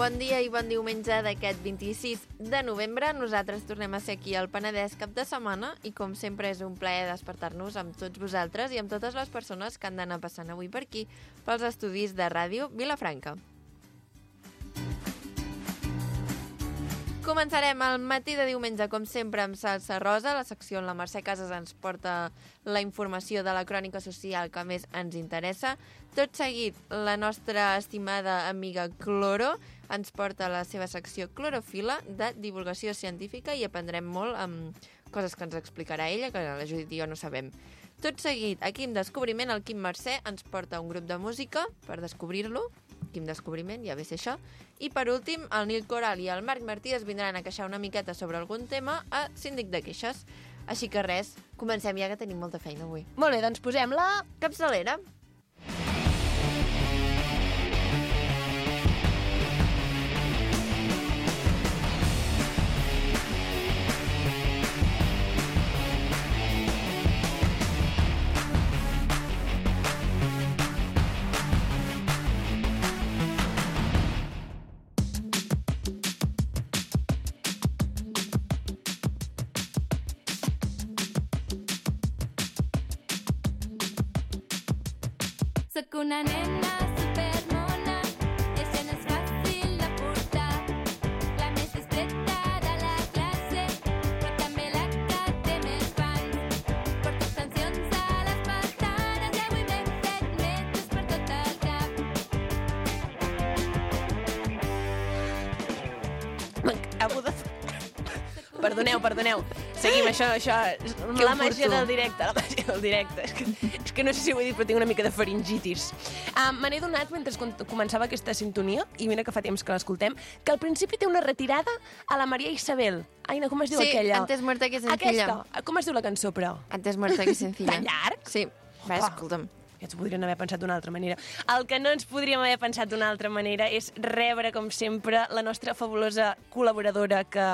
Bon dia i bon diumenge d'aquest 26 de novembre. Nosaltres tornem a ser aquí al Penedès cap de setmana i com sempre és un plaer despertar-nos amb tots vosaltres i amb totes les persones que han d'anar passant avui per aquí pels estudis de ràdio Vilafranca. Començarem el matí de diumenge, com sempre, amb Salsa Rosa. La secció on la Mercè Casas ens porta la informació de la crònica social que més ens interessa. Tot seguit, la nostra estimada amiga Cloro ens porta la seva secció Clorofila de divulgació científica i aprendrem molt amb coses que ens explicarà ella, que la Judit i jo no sabem. Tot seguit, aquí en Descobriment, el Quim Mercè ens porta un grup de música per descobrir-lo. Quin descobriment, ja ve ser això. I per últim, el Nil Coral i el Marc Martí es vindran a queixar una miqueta sobre algun tema a Síndic de Queixes. Així que res, comencem ja que tenim molta feina avui. Molt bé, doncs posem la capçalera. Soc una nena supermona, això no és fàcil de portar. La més discreta de la classe, però també la que té més fans. Porto extensions a les pestanes i avui m'he fet metres per tot el cap. Perdoneu. Seguim, això La màgia del directe, És que no sé si ho he dit, però tinc una mica de faringitis. Me n'he donat mentre començava aquesta sintonia, i mira que fa temps que l'escoltem, que al principi té una retirada a la Maria Isabel. Aina, com es diu aquella? Sí, Antes muerta que sencilla. Aquesta. Com es diu la cançó, però? Antes muerta que sencilla. Tan llarg? Sí, va, escolta'm. Ja ens ho podrien haver pensat d'una altra manera. El que no ens podríem haver pensat d'una altra manera és rebre, com sempre, la nostra fabulosa col·laboradora que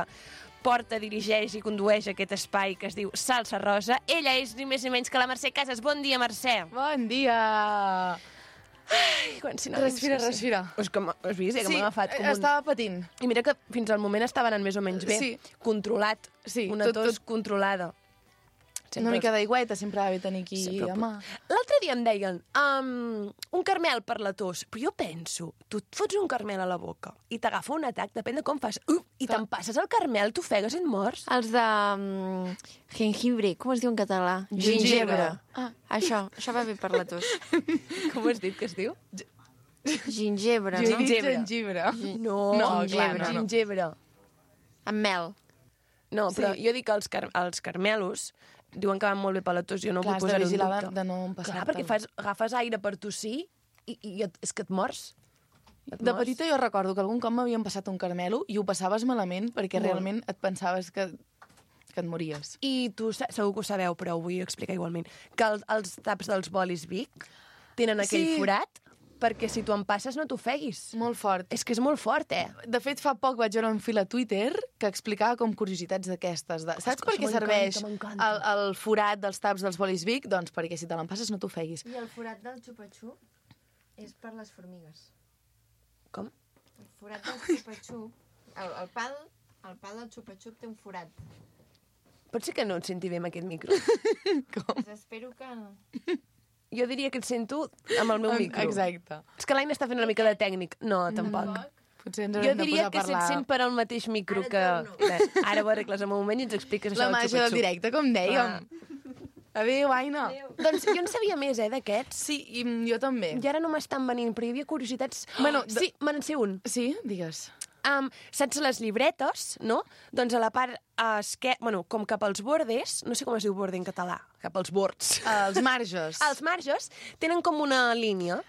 porta, dirigeix i condueix aquest espai que es diu Salsa Rosa. Ella és ni més ni menys que la Mercè Casas. Bon dia, Mercè. Bon dia! Ai, Respira. És que has vist, que m'ha agafat com estava patint. I mira que fins al moment estava anant més o menys bé. Sí. Controlat. Sí, una tos controlada. Una mica d'aigüeta sempre va bé tenir aquí a mà. L'altre dia em deien un carmel per la tos, però jo penso, tu et fots un carmel a la boca i t'agafa un atac, depèn de com fas, i te'n passes el carmel, t'ofegues i et mors. Els de jengibre, com es diu en català? Gingebre. Això va bé per la tos. Com has dit que es diu? Gingebre, Jo no? he dit gengibre. No, clar, no. Gingebre. Amb mel. No, però jo dic que els carmelos diuen que van molt bé per la tos, jo no vull posar-ho en dubte. de no empassar-te. Clar, perquè agafes aire per tossir i és que et mors. De petita jo recordo que algun cop m'havien passat un carmelo i ho passaves malament perquè Molt. realment et pensaves que et mories. I tu segur que ho sabeu, però ho vull explicar igualment, que els taps dels bolis Bic tenen aquell forat perquè si tu en passes no t'ofeguis. Molt fort. És que és molt fort, De fet, fa poc vaig veure un fil a Twitter que explicava com curiositats d'aquestes. Saps per què serveix el forat dels taps dels bolis Bic? Doncs perquè si te l'empasses no t'ofeguis. I el forat del xupa-xup és per les formigues. Com? El forat del xupa-xup, el pal del xupa-xup té un forat. Pot ser que no et senti bé amb aquest micro. Doncs espero que no. Jo diria que et sento amb el meu micro. Exacte. És que l'Aina està fent una mica de tècnic. No, tampoc. Potser ens Jo haurem de diria posar a que se't parlar. sent per al mateix micro Ara que... torno. Bé, ara ho arregles en un moment i ens expliques això La del màgia xupa-xup. del directe, com dèiem. Adéu, Aina. Doncs jo en sabia més, d'aquests. Sí, i jo també. I ara no m'estan venint, però hi havia curiositats... Bueno, sí, me n'en sé un. Sí? Digues. Saps les llibretes, no? Doncs a la part com cap als bordes, no sé com es diu borde en català, cap als bords. Els marges. Els marges tenen com una línia.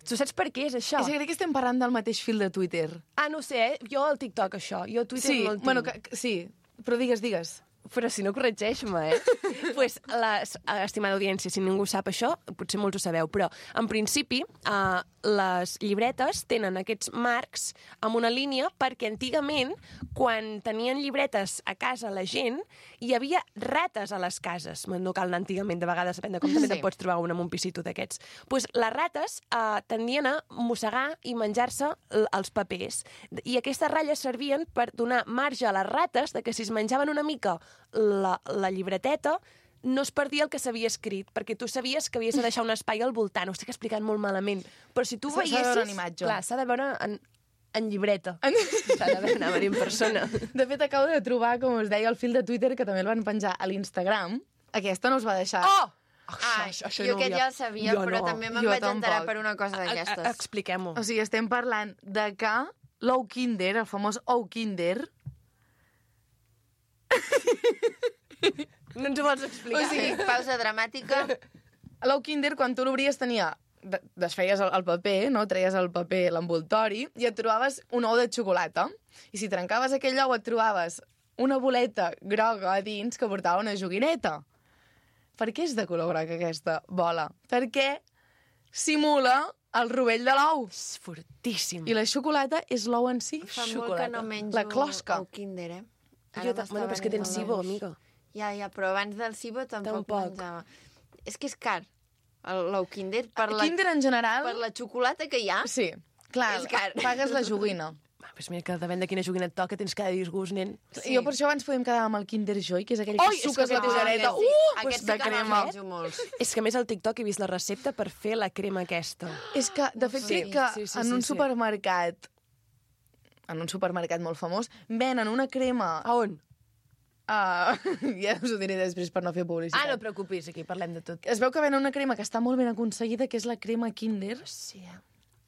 Tu saps per què és això? És que crec que estem parlant del mateix fil de Twitter. No sé, jo al TikTok això. Jo a Twitter Sí, no el tinc. bueno, sí, però digues. Però si no, corregeix-me, Pues, estimada audiència, si ningú sap això, potser molts ho sabeu, però en principi les llibretes tenen aquests marcs amb una línia perquè antigament, quan tenien llibretes a casa la gent, hi havia rates a les cases. No cal anar antigament, de vegades depèn de com també te'n pots trobar un amb un pisito d'aquests. Pues les rates tendien a mossegar i menjar-se els papers. I aquestes ratlles servien per donar marge a les rates de que si es menjaven una mica la llibreteta, no es perdia el que s'havia escrit, perquè tu sabies que havies de deixar un espai al voltant. Ho estic explicant molt malament. Però si tu veiessis... S'ha de veure en imatge. Clar, s'ha de veure en llibreta. S'ha de veure, anava a dir en persona. De fet, acabo de trobar, com us deia, el fil de Twitter, que també el van penjar a l'Instagram. Aquesta no us va deixar. Oh! Jo aquest ja el sabia, però també me'n vaig enterar per una cosa d'aquestes. Expliquem-ho. O sigui, estem parlant de que l'ou Kinder, el famós ou Kinder... No ens ho vols explicar? O sigui, pausa dramàtica. L'ou Kinder, quan tu l'obries, tenia... Desfeies el paper, no? Treies el paper, l'envoltori, i et trobaves un ou de xocolata. I si trencaves aquell ou, et trobaves una boleta groga a dins que portava una joguineta. Per què és de color groc aquesta bola? Perquè simula el rovell de l'ou. És fortíssim. I la xocolata és l'ou en si. Fa molt que no menjo La closca. ou Kinder, Bueno, però és que tens SIBO, amiga. Ja, però abans del SIBO tampoc menjava. És que és car, l'ou Kinder. Kinder en general... Per la xocolata que hi ha. Sí, clar, És car. pagues la joguina. Pues mira, que depèn de quina joguina et toca, tens cada disgust, nen. Sí. Jo per això abans podem quedar amb el Kinder Joy, que és aquell que suques la cuchareta. Aquest de crema. Molts. És que a més al TikTok he vist la recepta per fer la crema aquesta. És que, de fet, crec que en un supermercat, en un supermercat molt famós, venen una crema... A on? Ja us ho diré després per no fer publicitat. No et preocupis, aquí parlem de tot. Es veu que venen una crema que està molt ben aconseguida, que és la crema Kinder, Sí,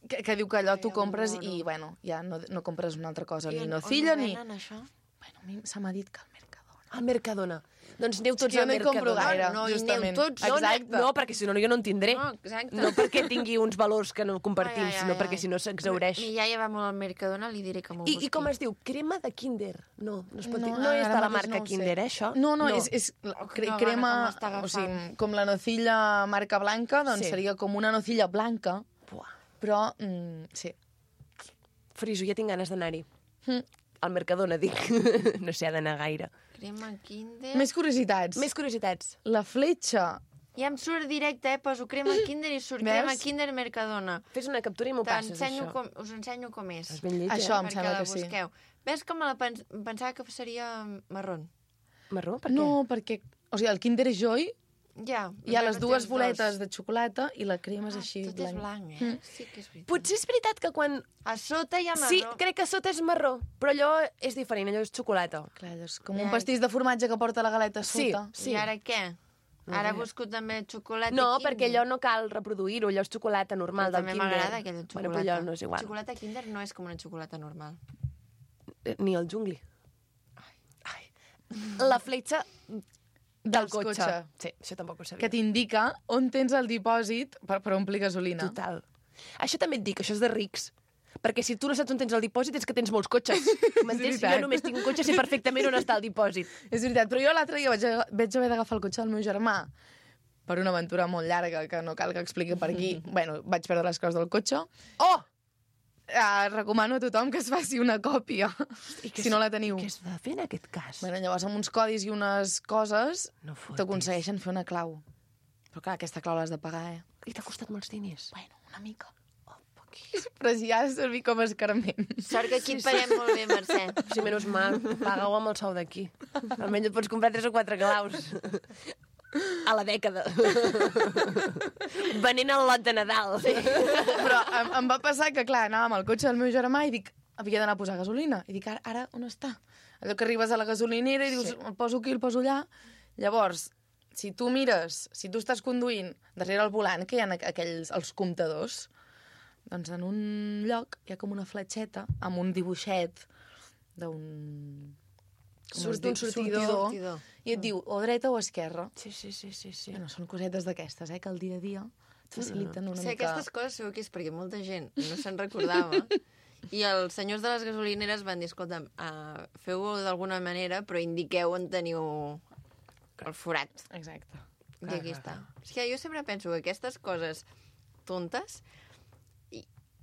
que diu que allò tu compres i, bueno, ja no compres una altra cosa, ni nocilla, ni... On això? Bueno, a mi se m'ha dit que al Mercadona. Al Mercadona. Doncs aneu tots jo al no hi compro Mercadona. gaire, No, hi aneu justament. tots. Exacte. No, perquè si no jo no en tindré. No, exacte. No perquè tingui uns valors que no compartim, Ai, ai, sinó ai, perquè ai. si no s'exaureix. Mi iaia va molt al Mercadona, li diré que m'ho busqui. I com es diu? Crema de Kinder. No es pot dir. No, No és ara de la mateix marca no ho sé. Kinder, això? No, és Quina crema, gana que m'està o agafant. sigui, com la nocilla marca blanca, doncs Sí. seria com una nocilla blanca, Buah. però sí. Friso, ja tinc ganes d'anar-hi. Al Mercadona, dic. No sé, ha d'anar gaire. Crema Kinder... Més curiositats. Més curiositats. La fletxa. Ja em surt directe, poso crema Kinder i surt Veus? crema Kinder Mercadona. Fes una captura i m'ho passes, T'ensenyo això. us ensenyo com és. És ben lleig, Això em perquè sembla la que sí. busqueu. Ves que me la pensava que seria marró. Marró? Per què? No, perquè... O sigui, el Kinder Joy Ja. hi ha les veure, dues tens boletes dos. de xocolata i la crema és així Tot és blanc, Sí que és veritat. Potser és veritat que quan... A sota hi ha marró. Sí, crec que sota és marró, però allò és diferent, allò és xocolata. Clar, allò és com un pastís de formatge que porta la galeta a Sí, sota. sí. I ara què? Ara busco també xocolata No, Kinder. perquè allò no cal reproduir-ho, allò és xocolata normal Però del també Kinder. m'agrada aquella xocolata. Bueno, però allò no és igual. Xocolata Kinder no és com una xocolata normal. Ni el jungli. Ai. La fletxa del cotxe. Sí, això tampoc ho sabia. Que t'indica on tens el dipòsit per omplir gasolina. Total. Això també et dic, això és de rics. Perquè si tu no saps on tens el dipòsit és que tens molts cotxes. M'entens? Si veritat. jo només tinc un cotxe, sé perfectament on està el dipòsit. És veritat, però jo l'altre dia vaig haver d'agafar el cotxe del meu germà per una aventura molt llarga que no cal que expliqui per aquí. Bueno, vaig perdre les claus del cotxe. Oh! Recomano a tothom que es faci una còpia, si no la teniu. Què has de fer en aquest cas? Bueno, llavors, amb uns codis i unes coses, No fotis. t'aconsegueixen fer una clau. Però clar, aquesta clau l'has de pagar, I t'ha costat molts diners. Bueno, una mica. Però si ha de servir com a escarment. Sort que aquí et paguem molt bé, Mercè. Sí, menys mal, paga-ho amb el sou d'aquí. Almenys et pots comprar 3 o 4 claus. A la dècada. Venent el lot de Nadal. Sí. Però em va passar que, clar, anava amb el cotxe del meu germà i dic, havia d'anar a posar gasolina. I dic, ara on està? Allò que arribes a la gasolinera i dius, el poso aquí, el poso allà. Llavors, si tu mires, si tu estàs conduint darrere el volant, que hi ha els comptadors, doncs en un lloc hi ha com una fletxeta amb un dibuixet d'un... Surt un sortidor. I et diu o dreta o esquerra. Sí. Bueno, són cosetes d'aquestes, que el dia a dia et faciliten una Sí, mica... aquestes coses segur que és perquè molta gent no se'n recordava. I els senyors de les gasolineres van dir, escolta'm, feu-ho d'alguna manera, però indiqueu on teniu el forat. Exacte. I aquí està. És que jo sempre penso que aquestes coses tontes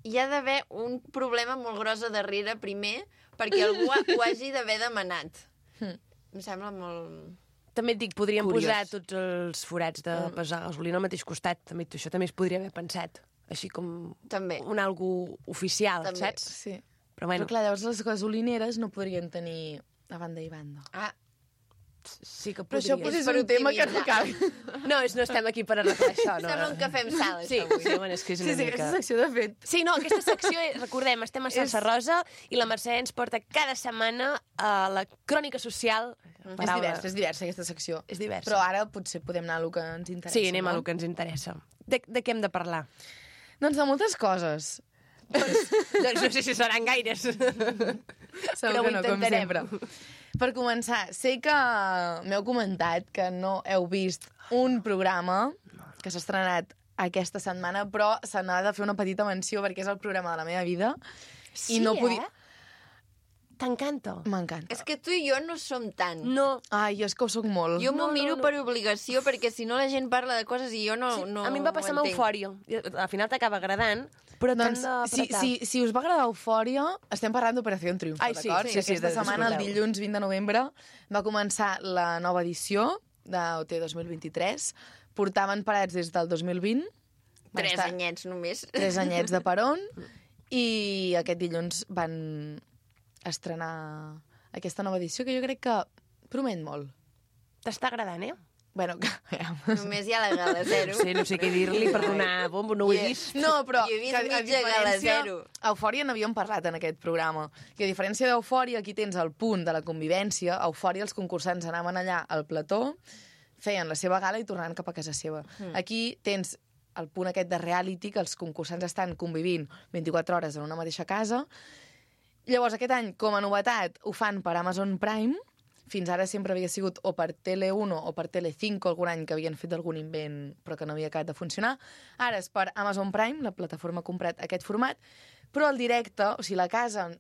hi ha d'haver un problema molt gros a darrere primer perquè algú ho hagi d'haver demanat. Em sembla molt... També et dic, podríem Curiós. posar tots els forats de pesar gasolina al mateix costat. També, això també es podria haver pensat. Així com També. un algú oficial, També. saps? Sí. Però bueno, Però clar, llavors les gasolineres no podrien tenir a banda i banda. Ah, sí que Però això podria. potser és un tema que no cal. No, no estem aquí per arreglar això. No. sembla un cafè amb sal, Sí, això avui. sí, bueno, és que és una Sí, mica... aquesta secció, de fet. Sí, no, aquesta secció, recordem, estem a Salsa Rosa i la Mercè ens porta cada setmana a la crònica social. És diversa aquesta secció. És diversa. Però ara potser podem anar a lo que ens interessa. Sí, anem a no? lo que ens interessa. De què hem de parlar? Doncs de moltes coses. Doncs no sé si seran gaires. Segur que no, com sempre. Per començar, sé que m'heu comentat que no heu vist un programa que s'ha estrenat aquesta setmana, però se n'ha de fer una petita menció perquè és el programa de la meva vida. Sí, I no podia... T'encanta. M'encanta. És que tu i jo no som tant. No. Ai, jo és que ho soc molt. Jo m'ho No, miro no. per obligació, perquè si no la gent parla de coses i jo no... Sí, no a mi em va passar amb ho entenc. Eufòria. Al final t'acaba agradant, però Doncs, t'han d'apretar. si us va agradar Eufòria, estem parlant d'Operació Triunfo, Ai, sí, d'acord? sí, Sí, sí, aquesta setmana, el disfruteu. dilluns 20 de novembre, va començar la nova edició d'OT 2023. Portaven parats des del 2020. Van 3 estar anyets només. 3 anyets de peron. I aquest dilluns van estrenar aquesta nova edició, que jo crec que promet molt. T'està agradant, eh? Bueno, que... Només hi ha la gala zero. No sé què dir-li per donar bombo, no ho he vist. No, però... Jo he vist que mitja gala zero. Eufòria n'havíem parlat en aquest programa. Que a diferència d'Eufòria, aquí tens el punt de la convivència. A Eufòria els concursants anaven allà al plató, feien la seva gala i tornaven cap a casa seva. Aquí tens el punt aquest de reality, que els concursants estan convivint 24 hores en una mateixa casa. Llavors, aquest any, com a novetat, ho fan per Amazon Prime. Fins ara sempre havia sigut o per Tele1 o per Telecinco, algun any que havien fet algun invent però que no havia acabat de funcionar. Ara és per Amazon Prime, la plataforma ha comprat aquest format, però el directe, o sigui, la casa en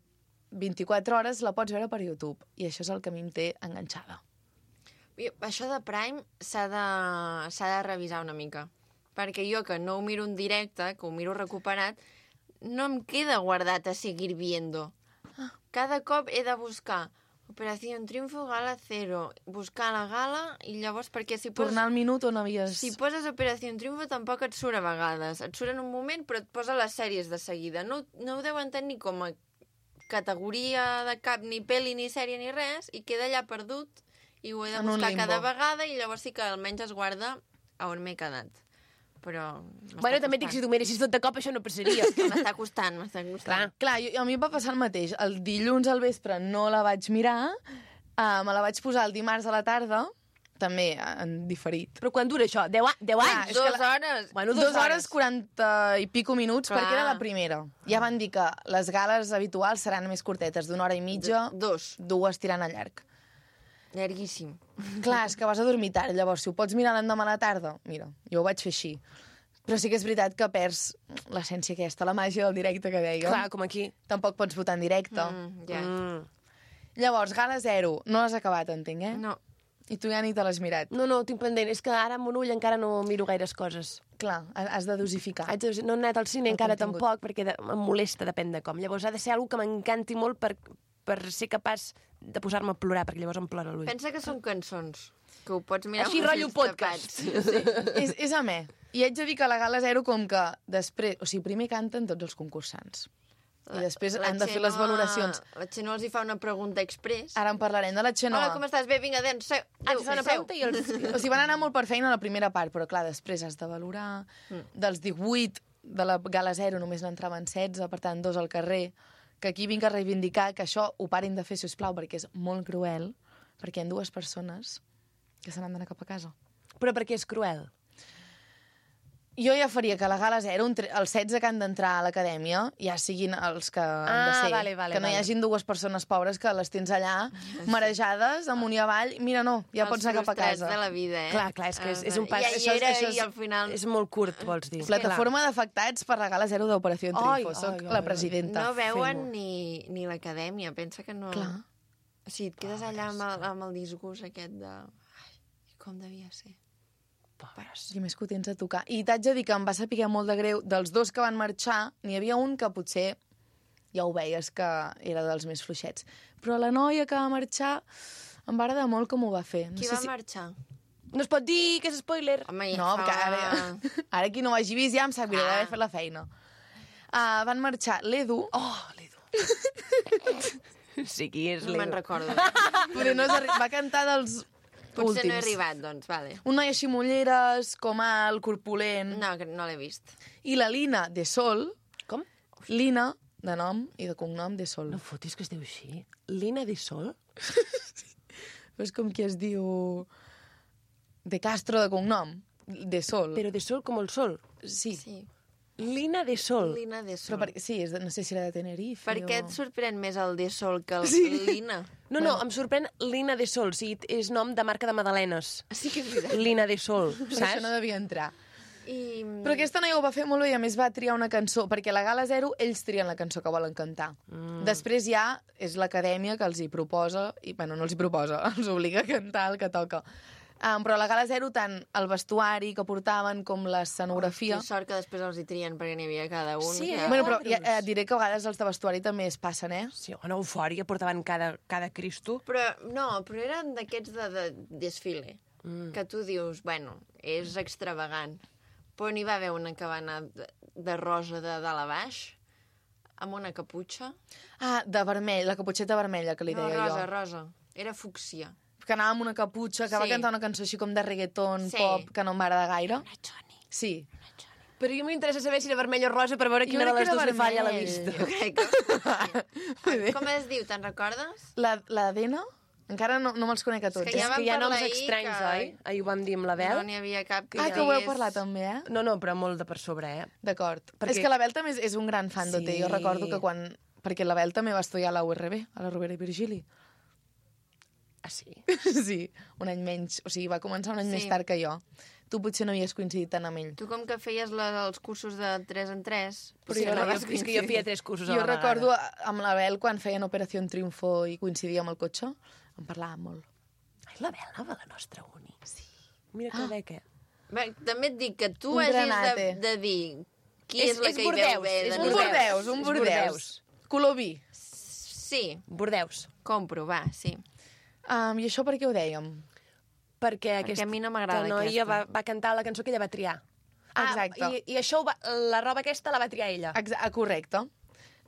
24 hores la pots veure per YouTube. I això és el que a mi em té enganxada. Això de Prime s'ha de revisar una mica. Perquè jo, que no ho miro en directe, que ho miro recuperat, no em queda guardat a seguir viendo. Cada cop he de buscar Operació Triunfo, Gala Zero, buscar la gala i llavors perquè si poses... Tornar al minut on havies... Si poses Operació Triunfo tampoc et surt a vegades. Et surt en un moment però et posa les sèries de seguida. No ho deuen tenir com a categoria de cap, ni pel·li, ni sèrie, ni res, i queda allà perdut i ho he de En un buscar limbo. cada vegada i llavors sí que almenys es guarda a on m'he quedat. Però Bueno, també et dic, si tu miressis tot de cop, això no passaria. m'està costant, m'està costant. Clar, a mi em va passar el mateix. El dilluns al vespre no la vaig mirar, me la vaig posar el dimarts a la tarda, també en diferit. Però quan dura això? 10 anys? és que 2 hores. Bueno, 2 hores 40 i pico minuts, Clar. perquè era la primera. Ja van dir que les gales habituals seran més curtetes, d'una hora i mitja, 2. 2 tirant a llarg. Llarguíssim. Clar, és que vas a dormir tard, llavors si ho pots mirar l'endemà a la tarda, mira, jo ho vaig fer així. Però sí que és veritat que perds l'essència aquesta, la màgia del directe que dèiem. Clar, com aquí. Tampoc pots votar en directe. Ja. Llavors, Gala 0, no l'has acabat, entenc, eh? No. I tu ja ni te l'has mirat. No, ho tinc pendent. És que ara amb un ull encara no miro gaires coses. Clar, has de dosificar. No he anat al cine El encara contingut. tampoc, perquè em molesta, depèn de com. Llavors ha de ser algo que m'encanti molt per ser capaç de posar-me a plorar, perquè llavors em plora l'ull. Pensa que són cançons, que ho pots mirar Així amb els rotllo ulls podcast. tapats. És amè. I haig de dir que la Gala 0 com que després... O sigui, primer canten tots els concursants. I després han de fer les valoracions. La Xenoa els hi fa una pregunta express. Ara en parlarem de la Xenoa. Hola, com estàs? Bé, vinga, adéu, seu. Et fa una pregunta i els... O sigui, van anar molt per feina a la primera part, però clar, després has de valorar. Dels 18 de la Gala 0 només n'entraven 16, per tant, 2 al carrer. Que aquí vinc a reivindicar que això ho parin de fer, si us plau, perquè és molt cruel, perquè hi ha 2 persones que se n'han d'anar cap a casa. Però perquè és cruel. Jo ja faria que la Gala 0, els 16 que han d'entrar a l'acadèmia, ja siguin els que han de ser. Vale, que no hi hagin 2 persones pobres que les tens allà, marejades, amunt i avall. Mira, no, ja pots anar cap a casa. de la vida, eh? Clar, és que és un pas... Ja hi era i al final... És molt curt, vols dir. Plataforma d'afectats per la Gala 0 d'Operació Triunfo. Soc la presidenta. No veuen Fem-ho. ni l'acadèmia, pensa que no... Clar. O sigui, et quedes allà amb el disgust aquest de... Ai, Com devia ser? Pobres. I més que ho tens a tocar. I t'haig de dir que em va saber molt de greu. Dels dos que van marxar, n'hi havia un que potser ja ho veies que era dels més fluixets. Però la noia que va marxar em va agradar molt com ho va fer. Qui va marxar? No es pot dir, que és spoiler. Home, ja No, fa... que ara qui no ho hagi vist ja em sap greu d'haver fet la feina. Van marxar l'Edu. Oh, l'Edu. Sí, qui és No me'n l'Edu? recordo. Poder no va cantar dels Potser últims. no he arribat, doncs, vale. Un noi així mulleres, com alt, corpulent. No, que no l'he vist. I la Lina de Sol. Com? Lina, de nom i de cognom, de Sol. No fotis que es diu així. Lina de Sol? És com qui es diu... De Castro, de cognom. De Sol. Però de Sol com el sol. Sí. Sí. Lina de Sol. Lina de Sol. Però sí, no sé si era de Tenerife Per què et sorprèn més el de Sol que el Lina? No, em sorprèn Lina de Sol. O sigui, és nom de marca de magdalenes. Sí que és veritat. Lina de Sol, Per saps? això no devia entrar. I... Però aquesta noia ho va fer molt bé i a més va triar una cançó, perquè a la Gala Zero ells trien la cançó que volen cantar. Després ja és l'acadèmia que els hi proposa, i bueno, no els hi proposa, els obliga a cantar el que toca. Però a la Gala Zero tant el vestuari que portaven com l'escenografia... Que sort que després els hi trien perquè n'hi havia cada un. Sí, que... Bueno, però ja, et diré que a vegades els de vestuari també es passen, Sí, una eufòria, portaven cada Cristo. Però eren d'aquests de desfile, que tu dius, bueno, és extravagant. Però n'hi va haver una que va anar de rosa de dalt a baix, amb una caputxa. De vermell, la caputxeta vermella que li deia rosa, jo. rosa. Era fúcsia. Que anava amb una caputxa, que va Sí. cantar una cançó així com de reggaeton, Sí. pop, que no em va agradar gaire. Una Johnny. Sí. Però a mi m'interessa saber si era vermell o rosa per veure quina de crec les que dues era li falla a la vermell. vista. Jo crec que... Com es diu, te'n recordes? La Dena? Encara no me'ls conec a tots. És que És vam que hi ha parlar noms ahir estranys, que- oi? Ahir ho vam dir amb la Bel. No n'hi havia cap que Que ho heu parlat també, eh? No, però molt de per sobre, eh? D'acord. Perquè- És que la Bel també és un gran fan d'OT. Sí. Jo recordo que quan... Perquè la Bel també va estudiar a la URB, a la Rovira i Virgili. Ah, sí? Sí, un any menys. O sigui, va començar un any Sí. més tard que jo. Tu potser no havies coincidit tant amb ell. Tu com que feies els cursos de 3 en 3... Però Sí, jo no, no és que jo feia 3 cursos a Jo la vegada. recordo amb la Bel, quan feien Operació Triunfo i coincidia amb el cotxe, en parlàvem molt. Ai, la Bel anava a la nostra uni. Sí. Mira que beca. Bé, també et dic que tu Un hagis granate. de dir qui és la que hi Bordeus, veu bé. és de Un Bordeus. nosaltres. Bordeus, un És Bordeus. Bordeus. Color vi. Sí, Bordeus. compro, va, sí. I això per què ho dèiem? Perquè a mi no m'agrada noia aquesta. va cantar la cançó que ella va triar. Exacte. I això, la roba aquesta la va triar ella. Correcte.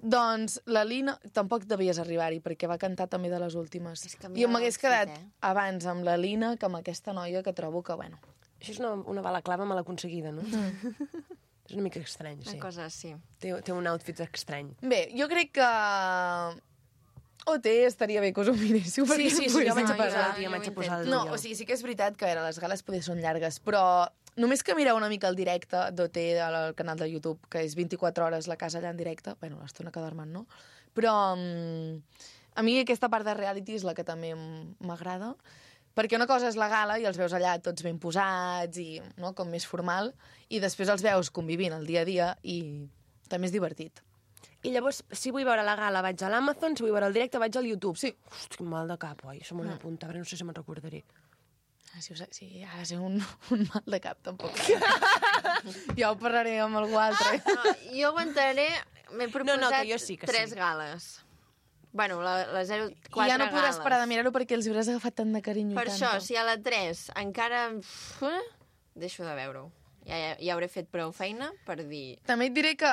Doncs la Lina... Tampoc devies arribar-hi, perquè va cantar també de les últimes. És que a mi Jo m'ha m'hagués fet, quedat abans amb la Lina que amb aquesta noia que trobo que, bueno... Això és una balaclava mal aconseguida, no? És una mica estrany, sí. Una cosa així. Té un outfit estrany. Bé, jo crec que... OT estaria bé que us ho miréssiu. perquè Sí, poguéssim jo vaig a no, posar jo- el dia, jo vaig a ho posar el No, dia. o sigui, sí que és veritat que les gales poder són llargues, però només que mireu una mica el directe d'OT al canal de YouTube, que és 24 hores la casa allà en directe, bueno, l'estona que dormen, no? Però a mi aquesta part de reality és la que també m'agrada, perquè una cosa és la gala i els veus allà tots ben posats i no, com més formal, i després els veus convivint el dia a dia i també és divertit. I llavors, si vull veure la gala, vaig a l'Amazon, si vull veure el directe, vaig al YouTube. Sí. Hosti, quin mal de cap, oi? Això m'ho he d'apuntar, però no sé si me'n recordaré. Sí, ha de ser un mal de cap, tampoc. Ja ho parlaré amb algú altre. No, jo aguantaré... M'he proposat que jo sí, que 3 sí. gales. Bueno, la 0, 4 I ja no podràs gales. parar de mirar-ho perquè els hauràs agafat tant de carinyo. Per i això, tant. si a la 3 encara... deixo de veure-ho. Ja hauré fet prou feina per dir... També et diré que...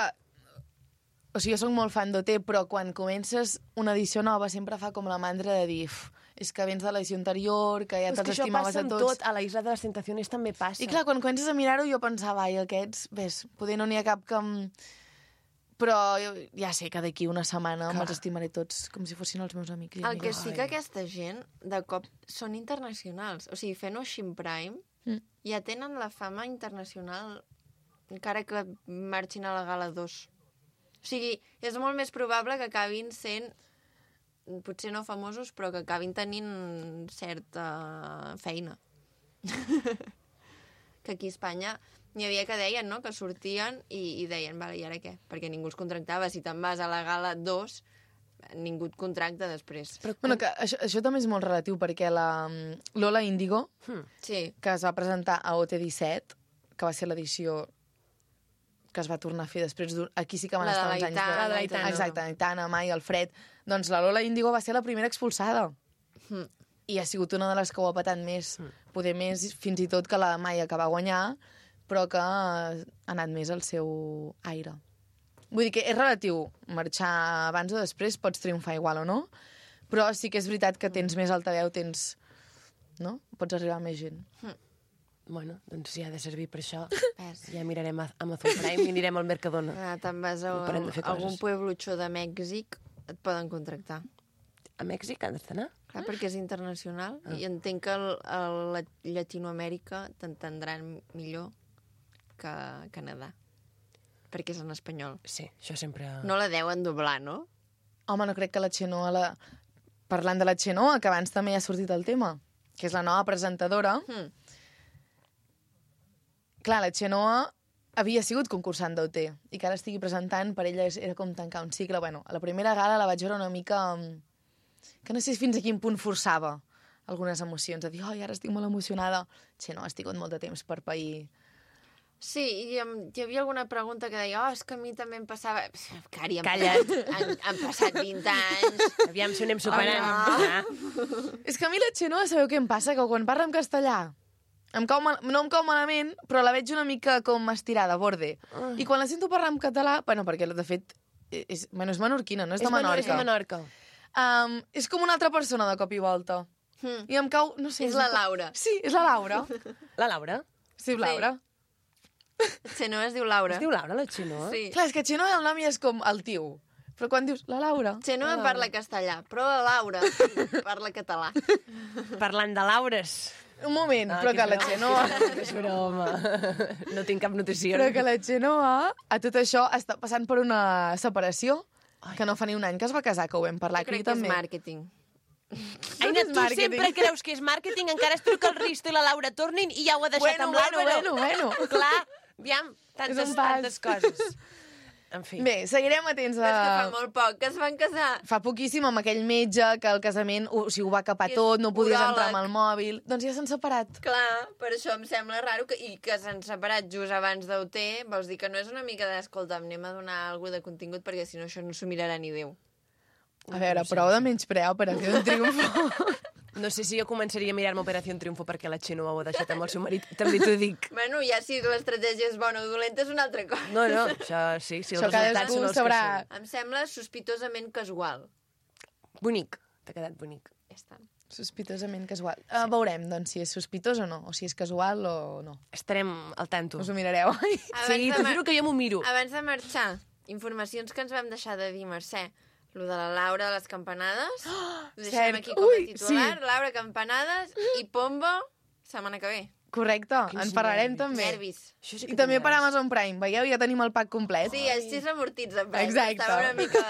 O sigui, jo sóc molt fan d'OT, però quan comences una edició nova sempre fa com la mandra de dir és que vens de l'edició anterior, que ja Però és que te'ls això estimaves passa a amb tots. tot, a la Isla de les Tentaciones també passa. I clar, quan comences a mirar-ho jo pensava, ai, aquests, ves, poder no n'hi ha cap que... Però jo ja sé que d'aquí una setmana me'ls estimaré tots com si fossin els meus amics. I El que amigues. sí que aquesta gent, de cop, són internacionals. O sigui, fent Ocean Prime, ja tenen la fama internacional, encara que marxin a la Gala 2. O sigui, és molt més probable que acabin sent, potser no famosos, però que acabin tenint certa feina. Que aquí a Espanya n'hi havia que deien, no?, que sortien i deien, vale, i ara què? Perquè ningú els contractava. Si te'n vas a la Gala 2, ningú et contracta després. Bueno, que això també és molt relatiu, perquè la Lola Índigo, Sí. que es va presentar a OT17, que va ser l'edició que es va tornar a fer després aquí sí que van La de estar la uns anys Aitana, la de l'Aitana. Exacte, Aitana, Mai, Alfred. Doncs la Lola Índigo va ser la primera expulsada. I ha sigut una de les que ho ha patat més. Poder més, fins i tot que la Maia, que va guanyar, però que ha anat més al seu aire. Vull dir que és relatiu. Marxar abans o després pots triomfar igual o no, però sí que és veritat que tens més altaveu, no? Pots arribar a més gent. Bueno, doncs si ha de servir per això, Ves. ja mirarem Amazon Prime i anirem al Mercadona. Te'n vas a I parem de fer algun coses. pueblucho de Mèxic, et poden contractar. A Mèxic has d'anar? Clar, perquè és internacional i entenc que a Llatinoamèrica t'entendran millor que a Canadà, perquè és en espanyol. Sí, això sempre... No la deuen doblar, no? Home, no crec que la Xenoa... Parlant de la Xenoa, que abans també ha sortit el tema, que és la nova presentadora. Clar, la Xenoa havia sigut concursant d'OT i que ara estigui presentant, per ella era com tancar un cicle. Bueno, a la primera gala la vaig veure una mica... que no sé fins a quin punt forçava algunes emocions, a dir, ara estic molt emocionada. Xenoa, has tingut molt de temps per pair. Sí, i hi havia alguna pregunta que deia, és que a mi també em passava... Cari, Calla't. Han passat 20 anys. Aviam si ho anem superant. És que a mi la Xenoa, sabeu què em passa? Que quan parla en castellà no em cau malament, però la veig una mica com estirada, borde. I quan la sento parlar en català... Bueno, perquè, de fet, és menorquina, no és de Menorca. És de Menorca. És com una altra persona de cop i volta. I em cau... No sé, És la Laura. Sí, és la Laura. La Laura? Sí, Laura. Xenoa es diu Laura. Es diu Laura, la Xenoa? Sí. Clar, és que Xenoa el nom ja és com el tio. Però quan dius la Laura... Xenoa parla castellà, però la Laura parla català. Parlant de Laures. Un moment, però que la Xenoa... És broma. No tinc cap notícia. Però que la Xenoa, a tot això, està passant per una separació que no fa ni un any que es va casar, que ho vam parlar Jo crec aquí que és també. màrqueting. Aina, és tu màrqueting. sempre creus que és màrqueting, encara es truca el Risto i la Laura tornin i ja ho ha deixat amb l'Àlvaro. Bueno. Clar, aviam, tantes coses. En fi. Bé, seguirem atents a... És que fa molt poc que es van casar. Fa poquíssim amb aquell metge que el casament ho va capar Que és tot, no podies entrar uròleg. amb el mòbil. Doncs ja s'han separat. Clar, per això em sembla raro i que s'han separat just abans d'OT, vols dir que no és una mica d'escolta, anem a donar alguna de contingut perquè si no això no s'ho mirarà ni Déu. A veure, prou de menysprear Operació Triunfo. No sé si jo començaria a mirar-me Operació Triunfo perquè la Xenoa ho ha deixat amb el seu marit. També t'ho dic. Bueno, ja si l'estratègia és bona o dolenta és una altra cosa. No, això sí, si els Això resultats cadascú són els que sabrà. són. Em sembla sospitosament casual. Bonic, t'ha quedat bonic. Ja està. Sospitosament casual. Veurem, doncs, si és sospitós o no, o si és casual o no. Estarem al tanto. Us ho mirareu. Sí, t'ho juro que jo m'ho miro. Abans de marxar, informacions que ens vam deixar de dir, Mercè. Lo de la Laura de les campanades. Ho deixem cert. aquí com a Ui, titular. sí. Laura Campanades i Pombo setmana que ve. Correcte, en parlarem nervis. també. Nervis. Això sí I que també tinc per ganes. Amazon Prime. Veieu, ja tenim el pack complet. Sí, els 6 amortits en Prime. Exacte. Estava una mica...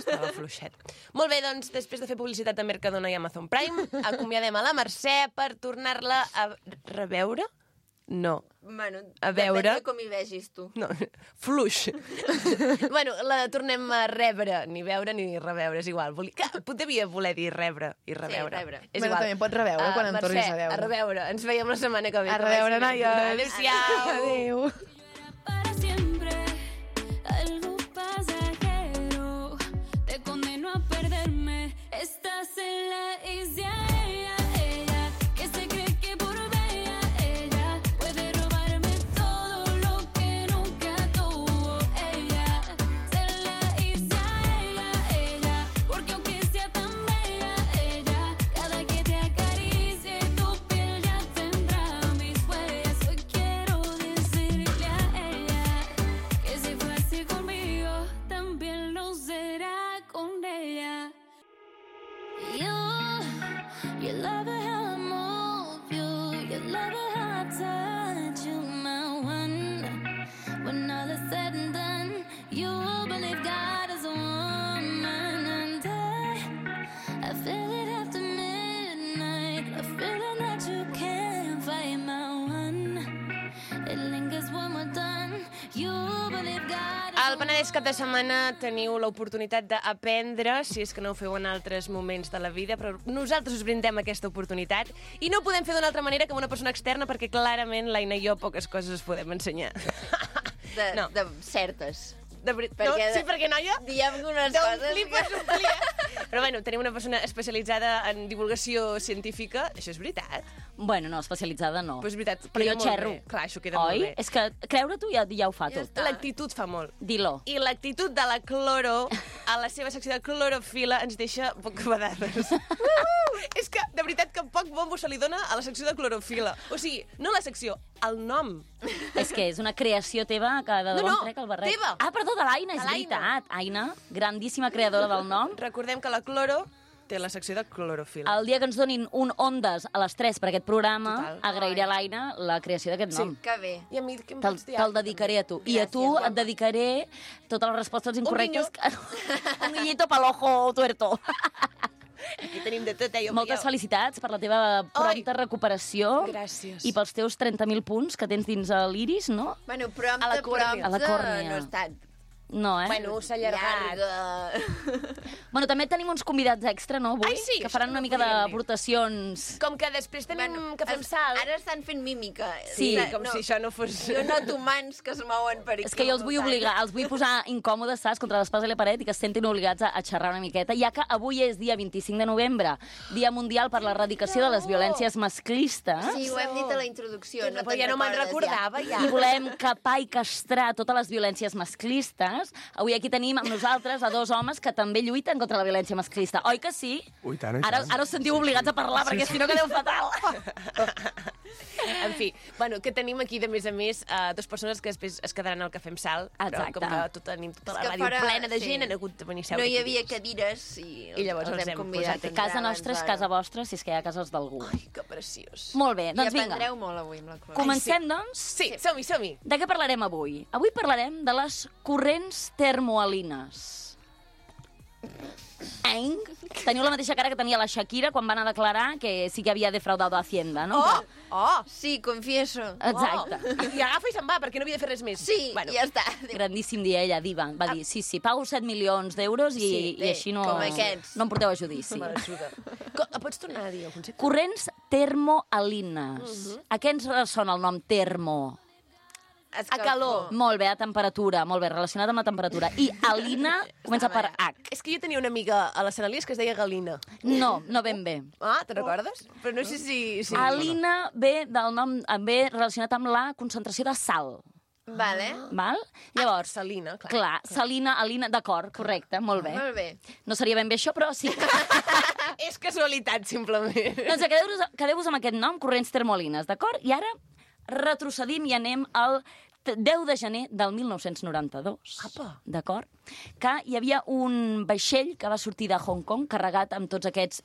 Estava fluixet. Molt bé, doncs, després de fer publicitat a Mercadona i Amazon Prime, acomiadem a la Mercè per tornar-la a reveure? No. Bueno, A veure. depèn de com hi vegis tu. No, fluix. Bueno, la tornem a rebre, ni veure ni reveure, és igual. Devia voler dir rebre i reveure. rebre. És Bueno, igual. també pots reveure quan em Mercè, tornis a veure. a reveure. Ens veiem la setmana que ve. A reveure, Que vagi bé. noies. Adéu-siau. Adéu. Para siempre, algo pasajero. Te condeno a perderme. Estás en la isla. Ella, que se cree que por bella, ella puede robarme todo lo que nunca tuvo. Ella, en la isla. Ella, porque aunque sea tan bella, ella, cada que te acaricie tu piel ya tendrá mis huellas. Hoy quiero decirle a ella que si fue así conmigo, también lo será con ella. You love it how I move you love it how I touch you, my one. When all is said and done, you believe God is a woman, and I feel it after midnight, a feeling that you can't fight, my one. It lingers when we're done. You believe God is Al Penedès cap de setmana teniu l'oportunitat d'aprendre, si és que no ho feu en altres moments de la vida, però nosaltres us brindem aquesta oportunitat i no ho podem fer d'una altra manera que amb una persona externa perquè clarament l'Aina i jo poques coses us podem ensenyar. No. De certes. Sí, perquè, noia, Diem unes d'on coses flipes un plia. Però bueno, tenim una persona especialitzada en divulgació científica. Això és veritat? Bueno, no, especialitzada no. Però és veritat, Però queda jo molt xerro. bé. Clar, això queda Oi? molt bé. És que creure-t'ho ja ho fa Ja tot. està. L'actitud fa molt. Dilo. I l'actitud de la Cloro, a la seva secció de clorofila, ens deixa bocabadades. És que, de veritat, que poc bombo se li dona a la secció de clorofila. O sigui, no la secció, el nom. És que és una creació teva que de No, bon no, trec el barret. teva. Ah, perdó, de l'Aina, és De l'Aina. veritat. Aina, grandíssima creadora del nom. Recordem que la Cloro té la secció de clorofila. El dia que ens donin un Ondes a les 3 per aquest programa, Total. agrairé a l'Aina la creació d'aquest nom. Que bé. I a mi què em Te'l pots dir? te dedicaré a tu. I a tu Gràcies, et dedicaré totes les respostes incorrectes. guiño. Un guiñito pel ojo tuerto. Aquí tenim de tot, jo Moltes felicitats per la teva prompta recuperació. Gràcies. I pels teus 30.000 punts que tens dins l'iris, no? Bueno, prompte, A la còrnia. A la còrnia. no ha estat. No, eh? Bueno, s'ha allargat. Llarga. Bueno, també tenim uns convidats extra, no, avui? Ai, sí, que això faran no una ho mica podíem dir. d'aportacions. Com que després tenim que fem salt. Ara estan fent mímica. Sí, com si això no fos... Jo noto mans que es mouen per aquí. És que jo els vull obligar, els vull posar incòmodes, saps, contra l'espasa i la paret i que es sentin obligats a xerrar una miqueta, ja que avui és dia 25 de novembre, Dia Mundial per l'Erradicació de les Violències Masclistes, Sí, ho hem dit a la introducció. Però ja no me'n recordava, ja. i volem capar i castrar totes les violències masclistes. Avui aquí tenim amb nosaltres a dos homes que també lluiten contra la violència masclista. Oi que sí? Ui, tant, i Ara, tant. ara us sentiu obligats a parlar, perquè si no quedeu fatal. En fi, bueno, que tenim aquí, de més a més, dues persones que després es quedaran al Cafè amb Sal, però Exacte. com que tenim tota la És que ràdio fora- plena de sí. gent, han hagut de venir a No seure hi aquí havia dins. cadires i llavors els els hem hem convidat. posat a entrar Casa nostra és abans casa vostra, si és que hi ha cases d'algú. Ai, que preciós. Molt bé, I doncs vinga. aprendreu molt avui amb la Clara. Comencem, doncs? Sí, som-hi, som-hi. De què parlarem avui? Avui parlarem de les corrents termoalines. Teniu la mateixa cara que tenia la Shakira quan va anar a declarar que sí que havia defraudado a Hacienda, no? Oh, oh. Sí, confieso. Exacte. Oh. I agafa i se'n va, perquè no havia de fer res més. Sí, bueno, ja està. Grandíssim dia ella, diva. Va dir, sí, pago 7 milions d'euros i, Sí, i bé, així no, com aquests. no em porteu a judici. m'ajuda. Pots tornar a dir el concepte? Corrents termoalines. A què ens sona el nom termo? A calor. Molt bé, a temperatura, molt bé, relacionat amb la temperatura. I alina comença per H. És que jo tenia una amiga a la Sant Elies que es deia Galina. No, no ben bé. Ah, te'n recordes? Però no sé si... Alina ve del nom, ve relacionat amb la concentració de sal. Vale. Val? Llavors, Salina, clar. clar, salina, alina, d'acord, correcte, molt bé. Molt bé. No seria ben bé això, però sí. És casualitat, simplement. Doncs quedeu-vos amb aquest nom, corrents termoalines, d'acord? I ara retrocedim i anem al 10 de gener del 1992. Apa. D'acord? Que hi havia un vaixell que va sortir de Hong Kong carregat amb tots aquests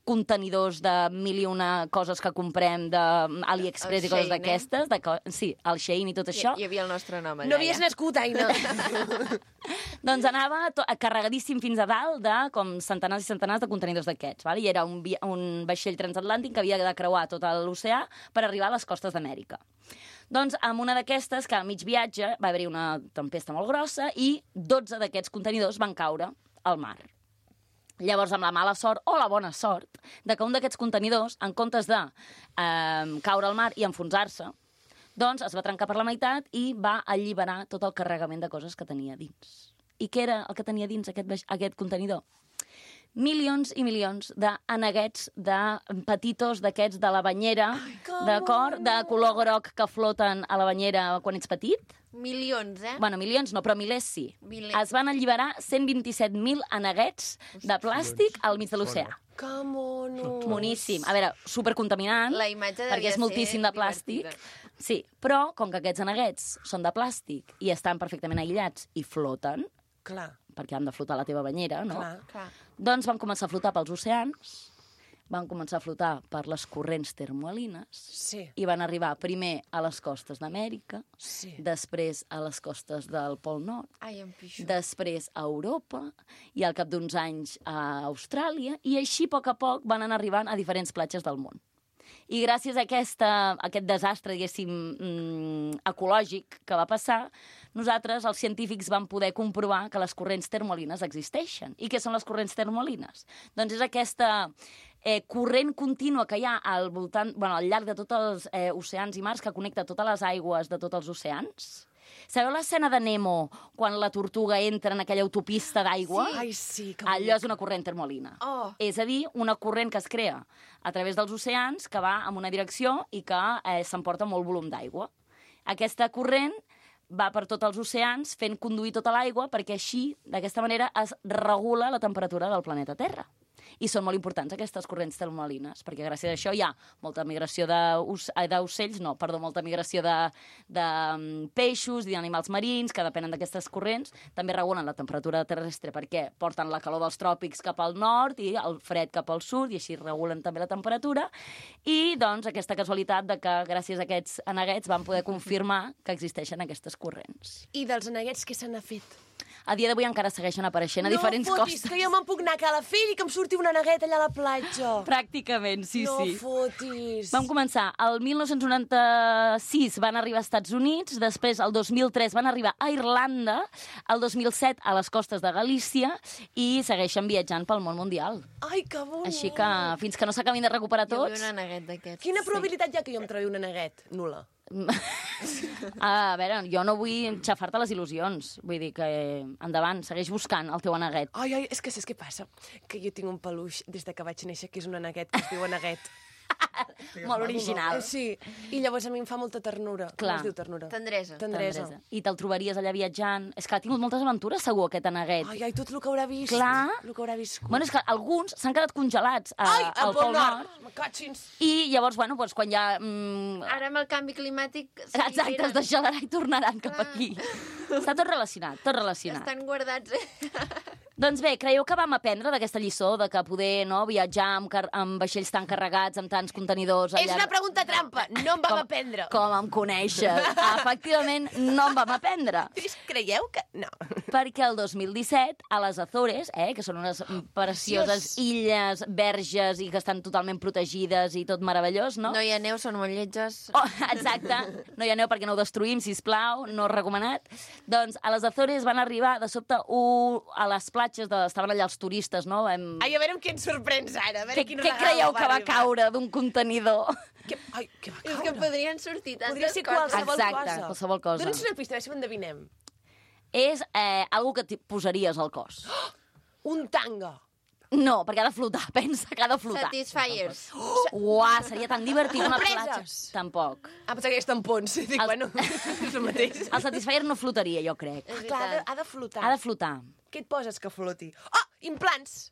contenidors de mil i una coses que comprem d'AliExpress El i coses Shein, d'aquestes. Sí, el Shein i tot això. Hi havia el nostre nom allà. No havies nascut, Aina. Doncs anava carregadíssim fins a dalt de com centenars i centenars de contenidors d'aquests. Val? I era un vaixell transatlàntic que havia de creuar tot l'oceà per arribar a les costes d'Amèrica. Doncs amb una d'aquestes, que a mig viatge va haver-hi una tempesta molt grossa i 12 d'aquests contenidors van caure al mar. Llavors, amb la mala sort o la bona sort de que un d'aquests contenidors, en comptes de caure al mar i enfonsar-se, doncs es va trencar per la meitat i va alliberar tot el carregament de coses que tenia dins. I què era el que tenia dins aquest contenidor? Milions i milions d'aneguets de petitos d'aquests de la banyera, d'acord? De color groc que floten a la banyera quan ets petit. Milions, eh? Bueno, milions no, però milers sí. Milers. Es van alliberar 127.000 aneguets de plàstic al mig de l'oceà. Que mono. Moníssim. A veure, supercontaminant, La imatge devia perquè és ser moltíssim de plàstic. divertida. Sí, però com que aquests aneguets són de plàstic i estan perfectament aïllats i floten, Clar, perquè han de flotar a la teva banyera, no? clar. Clar. Doncs van començar a flotar pels oceans, van començar a flotar per les corrents termoalines Sí. i van arribar primer a les costes d'Amèrica, Sí. després a les costes del Pol Nord, Ai, em pixo. després a Europa i al cap d'uns anys a Austràlia, i així a poc van anar arribant a diferents platges del món. I gràcies a aquest desastre, diguéssim, ecològic que va passar, nosaltres, els científics, vam poder comprovar que les corrents termolines existeixen. I què són les corrents termolines? Doncs és aquesta corrent contínua que hi ha al voltant, al llarg de tots els oceans i mars, que connecta totes les aigües de tots els oceans. Sabeu l'escena de Nemo, quan la tortuga entra en aquella autopista d'aigua? Ai, sí, que Allò és una corrent termolina. Oh. És a dir, una corrent que es crea a través dels oceans, que va en una direcció i que s'emporta molt volum d'aigua. Aquesta corrent va per tots els oceans fent conduir tota l'aigua perquè així, d'aquesta manera, es regula la temperatura del planeta Terra. I són molt importants aquestes corrents termolines, perquè gràcies a això hi ha molta migració d'ocells, molta migració de peixos i d'animals marins que depenen d'aquestes corrents. També regulen la temperatura terrestre perquè porten la calor dels tròpics cap al nord i el fred cap al sud, i així regulen també la temperatura. I, doncs, aquesta casualitat de que gràcies a aquests aneguets van poder confirmar que existeixen aquestes corrents. I dels aneguets què se n'ha fet? A dia d'avui encara segueixen apareixent a diferents No fotis, costes. que jo me'n puc anar a Calafell i que em surti un aneguet allà a la platja. Pràcticament, sí. No fotis. Vam començar, el 1996 van arribar als Estats Units, després el 2003 van arribar a Irlanda, el 2007 a les costes de Galícia i segueixen viatjant pel món mundial. Ai, que bonic. Així que fins que no s'acabin de recuperar Jo vull tots... un aneguet d'aquests. Quina probabilitat hi ha que jo em trobi un aneguet? Nula. A veure, jo no vull xafar-te les il·lusions. Vull dir que endavant, segueix buscant el teu aneguet. Ai, és que saps què passa? Que jo tinc un peluix des de que vaig néixer, que és un aneguet, que es diu aneguet. Molt original. Sí, i llavors a mi em fa molta ternura. Clar. Com es diu ternura? Tendresa. Tendresa. I te'l trobaries allà viatjant. És que ha tingut moltes aventures, segur, aquest aneguet. Ai, tot el que haurà vist. Clar. El que haurà viscut. Bueno, és que alguns s'han quedat congelats al Pol Pol Nord. Me catxins. I llavors, bueno, doncs quan ja... Ara amb el canvi climàtic Exacte, es deixaran i tornaran cap aquí. Està tot relacionat, tot relacionat. estan guardats. Doncs bé, creieu que vam aprendre d'aquesta lliçó de que poder viatjar amb vaixells tan carregats, amb tants contenidors... És una pregunta trampa. No em vam aprendre. Com em coneixes? Efectivament, no em vam aprendre. Creieu que... No. Perquè el 2017, a les Azores, que són unes precioses illes verges i que estan totalment protegides i tot meravellós, no? No hi ha neu, són molt lletges. Oh, exacte. No hi ha neu perquè no ho destruïm, sisplau, no recomanat. Doncs a les Azores van arribar de sobte a les platges, estaven allà els turistes, no? Ai, a veure amb qui ens sorprens ara. A veure Què quin regal creieu que va arribar. caure d'un contenidor? Què va És caure? que podrien sortir tantes Podria ser coses. qualsevol Exacte, cosa. qualsevol cosa. Dóna'ns una pista, a veure si ho endevinem. És algo que posaries al cos. Un tanga. No, perquè ha de flotar, pensa que ha de flotar. Satisfiers. Uah, seria tan divertit una platja. Compreses. Tampoc. Pensava que és tampons. Dic, bueno, és el mateix. El Satisfyer no flotaria, jo crec. És Clar, veritat. ha de flotar. Ha de flotar. Què et poses que floti? Oh, implants!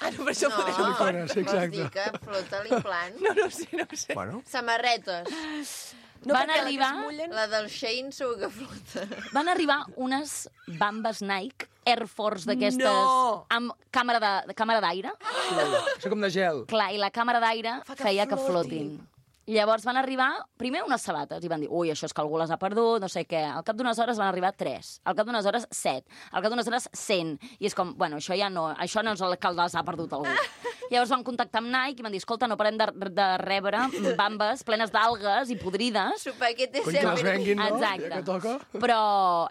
Ah, no, per això No, podem... Silicones, vols exacte. dir que flota l'implant? No ho sé, no ho sé. Bueno, Samarretes. No, Van perquè la que arribar- es mullen- La del Shein segur que flota. Van arribar unes bambes Nike Air Force d'aquestes No! amb càmera d'aire. això com de gel. Clar, i la càmera d'aire Fa que feia que flotin. flotin. Llavors van arribar, primer unes sabates, i van dir, ui, això és que algú les ha perdut, no sé què. Al cap d'unes hores van arribar 3, al cap d'unes hores 7, al cap d'unes hores 100. I és com, bueno, això no és el que les ha perdut algú. Llavors van contactar amb Nike i van dir, escolta, no parem de rebre bambes plenes d'algues i podrides, Supaquet és Cony que les sempre... venguin, no? Exacte. Ja que toca. però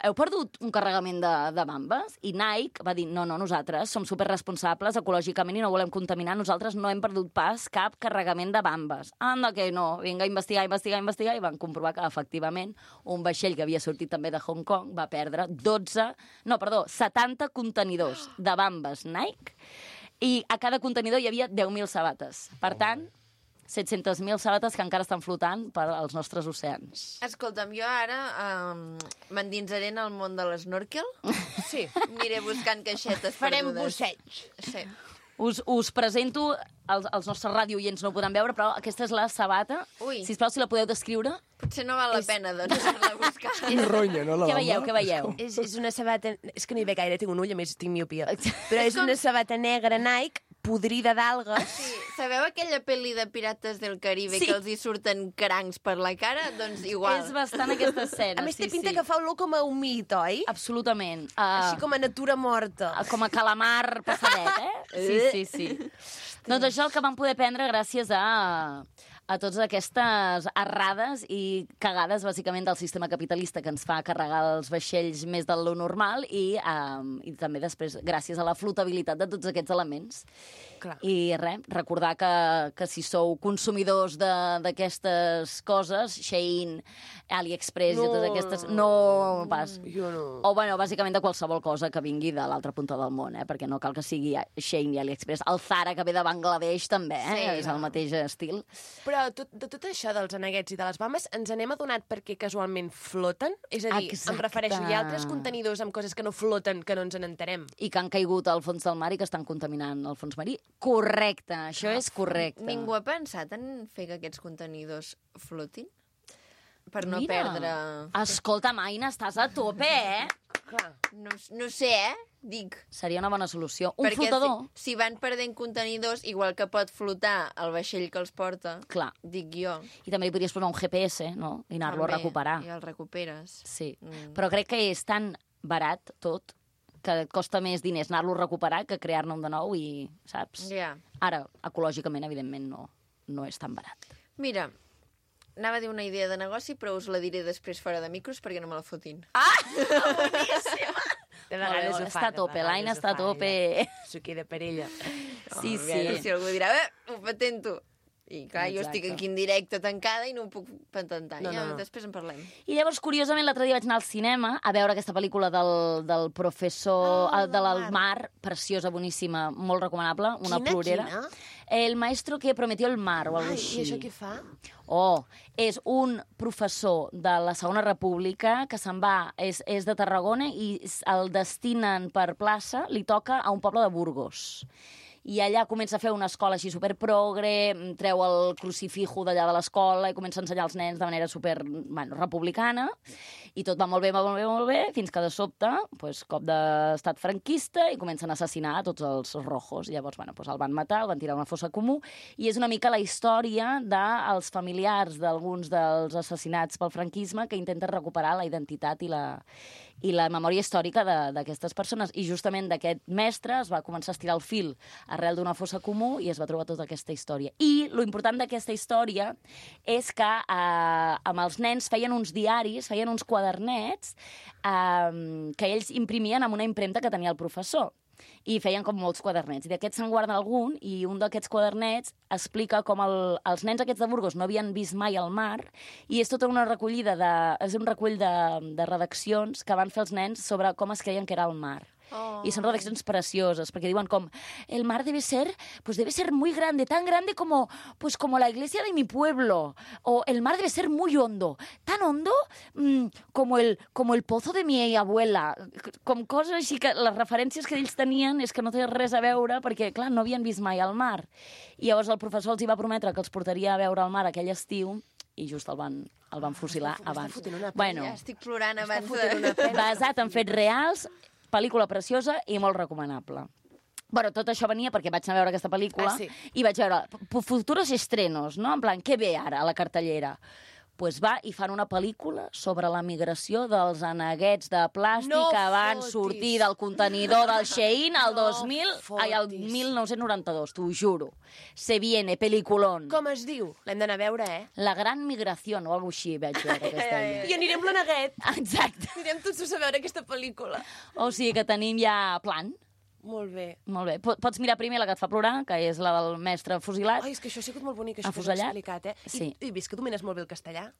heu perdut un carregament de bambes? I Nike va dir, no, nosaltres som superresponsables ecològicament i no volem contaminar, nosaltres no hem perdut pas cap carregament de bambes. Anda que no, vinga a investigar, i van comprovar que, efectivament, un vaixell que havia sortit també de Hong Kong va perdre 70 contenidors de bambes Nike i a cada contenidor hi havia 10.000 sabates. Per tant, 700.000 sabates que encara estan flotant per als nostres oceans. Escolta'm, jo ara m'endinsaré en el món de l'esnorkel. Sí. Aniré buscant caixetes Farem perdudes. busseig. Sí. Us presento, els nostres radioients no ho podran veure, però aquesta és la sabata. Ui. Sisplau, si la podeu descriure. Potser no val la pena, doncs, anar a buscar. I ronya, no, la Què bamba? veieu, què veieu? És una sabata... És que no hi veig gaire, tinc un ull, a més tinc miopia. Però és una sabata negra Nike, podrida d'algues. Sí. Sabeu aquella pel·li de Pirates del Caribe Sí. que els hi surten crancs per la cara? Doncs igual. És bastant aquesta escena. A més, té sí, pinta sí. que fa olor com a humit, oi? Absolutament. Així com a natura morta. Com a calamar passadet, eh? Sí. Doncs això és el que vam poder prendre gràcies a a totes aquestes errades i cagades, bàsicament, del sistema capitalista que ens fa carregar els vaixells més del lo normal i també després gràcies a la flotabilitat de tots aquests elements. Clar. I res, recordar que si sou consumidors d'aquestes coses, Shein, AliExpress i totes aquestes... No pas. Jo no. O, bueno, bàsicament de qualsevol cosa que vingui de l'altra punta del món, perquè no cal que sigui Shein i AliExpress. El Zara, que ve de Bangladesh, també, és el mateix estil. Però de tot això dels aneguets i de les bambes, ens n'hem adonat perquè casualment floten? És a dir, Exacte. em refereixo, hi ha altres contenidors amb coses que no floten que no ens n'entenem. I que han caigut al fons del mar i que estan contaminant el fons marí. Correcte, això és correcte. Ningú ha pensat en fer que aquests contenidors flotin? Per no Mira, perdre... Escolta, Maina, estàs a tope, Clar. No sé, dic. Seria una bona solució. Un Perquè flotador? si van perdent contenidors, igual que pot flotar el vaixell que els porta, Clar. dic jo. I també li podries posar un GPS, no? I anar-lo a També, recuperar. I el recuperes. Sí, però crec que és tan barat tot que et costa més diners anar-lo a recuperar que crear-ne un de nou i, saps? Ja. Ara, ecològicament, evidentment, no és tan barat. Mira, anava a dir una idea de negoci, però us la diré després fora de micros perquè no me la fotin. De Molt bé, vegades ho fa. està a tope, l'Aina està a tope. Suqui de perilla. Sí, I si algú dirà, ho patento. I clar, jo Exacte. estic aquí en directe tancada i no ho puc patentar. No, Ja, no. després en parlem. I llavors, curiosament, l'altre dia vaig anar al cinema a veure aquesta pel·lícula del professor, de l'Almar, preciosa, boníssima, molt recomanable, una plorera. Quina? El maestro que prometió el mar, o alguna Ai, així. i això què fa? Oh, és un professor de la Segona República que se'n va, és de Tarragona i el destinen per plaça, li toca a un poble de Burgos. I allà comença a fer una escola així superprogre, treu el crucifijo d'allà de l'escola i comença a ensenyar als nens de manera republicana, i tot va molt bé, molt bé, molt bé, fins que de sobte, cop d'estat franquista, i comencen a assassinar a tots els rojos. Llavors, el van matar, el van tirar a una fossa comú, i és una mica la història dels familiars d'alguns dels assassinats pel franquisme que intenten recuperar la identitat i la memòria històrica d'aquestes persones. I justament d'aquest mestre es va començar a estirar el fil arrel d'una fossa comú i es va trobar tota aquesta història. I lo important d'aquesta història és que amb els nens feien uns diaris, feien uns quadernets que ells imprimien amb una impremta que tenia el professor. I feien com molts quadernets. I d'aquests se'n guarda algun, i un d'aquests quadernets explica com els nens aquests de Burgos no havien vist mai el mar, i és tota una recollida és un recull de redaccions que van fer els nens sobre com es creien que era el mar. Oh. Y son redacciones preciosas, porque diuen com, el mar debe ser muy grande, tan grande como la iglesia de mi pueblo, o el mar debe ser muy hondo, tan hondo como el pozo de mi abuela, com coses així que les referències que ells tenien és que no té res a veure, perquè, clar, no havien vist mai el mar. I llavors el professor els hi va prometre que els portaria a veure el mar aquell estiu, i just el van fusilar abans. Ja estic plorant abans de... Basat en fets reals, pel·lícula preciosa i molt recomanable. Bueno, tot això venia perquè vaig anar a veure aquesta pel·lícula i vaig veure futuros estrenos, no? En plan, què ve ara a la cartellera? Pues va i fan una pel·lícula sobre la migració dels aneguets de plàstic que van sortir del contenidor del Shein al 1992, t'ho juro. Se viene, peliculón. Com es diu? L'hem d'anar a veure, La gran migració, o alguna així vaig veure aquesta. I anirem l'aneguet. Exacte. Anirem tots a veure aquesta pel·lícula. O sigui que tenim ja plan. Molt bé. Molt bé. Pots mirar primer la que et fa plorar, que és la del mestre fusilat. Ai, és que això ha sigut molt bonic, això que us Afusellat. he explicat, Sí. I vist que domines molt bé el castellà?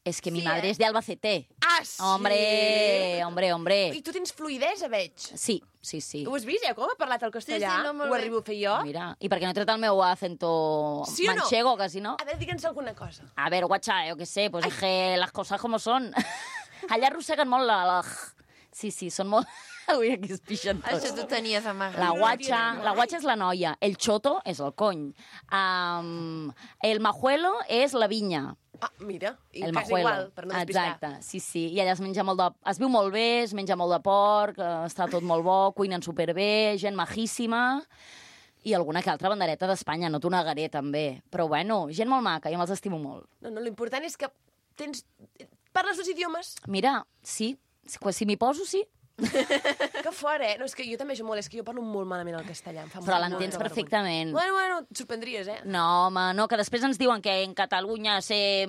És que mi madre és de Albacete. Ah, sí? Hombre. I tu tens fluïdesa, veig. Sí. Ho has vist, com ha parlat el castellà? Sí, no, molt Ho bé. arribo a fer jo? Mira, i perquè no he tret el meu acento Sí o no? manchego, que si no... A veure, digue'ns alguna cosa. A ver, guacha, yo qué sé, pues dije las cosas como son. Allà arrosseguen molt la... Sí, són molt... Ui, aquí es pixen tots. Això t'ho tenies amagat. La guatxa és la noia, el choto és el cony, el majuelo és la vinya. Ah, mira, i El quasi majuelo. igual, per no despistar. Exacte, sí. I allà es menja molt de... Es viu molt bé, es menja molt de porc, està tot molt bo, cuinen superbé, gent majíssima, i alguna que altra bandereta d'Espanya, no t'ho negaré, també. Però bueno, gent molt maca, jo me'ls estimo molt. No, l'important és que parles dos idiomes. Mira, sí, si m'hi poso, sí. Que fort, eh? No, és que jo també molt, és que jo parlo molt malament el castellà. Em fa Però molt l'entens de vergonya. perfectament. Bueno, et sorprendries, eh? No, home, no, que després ens diuen que en Catalunya se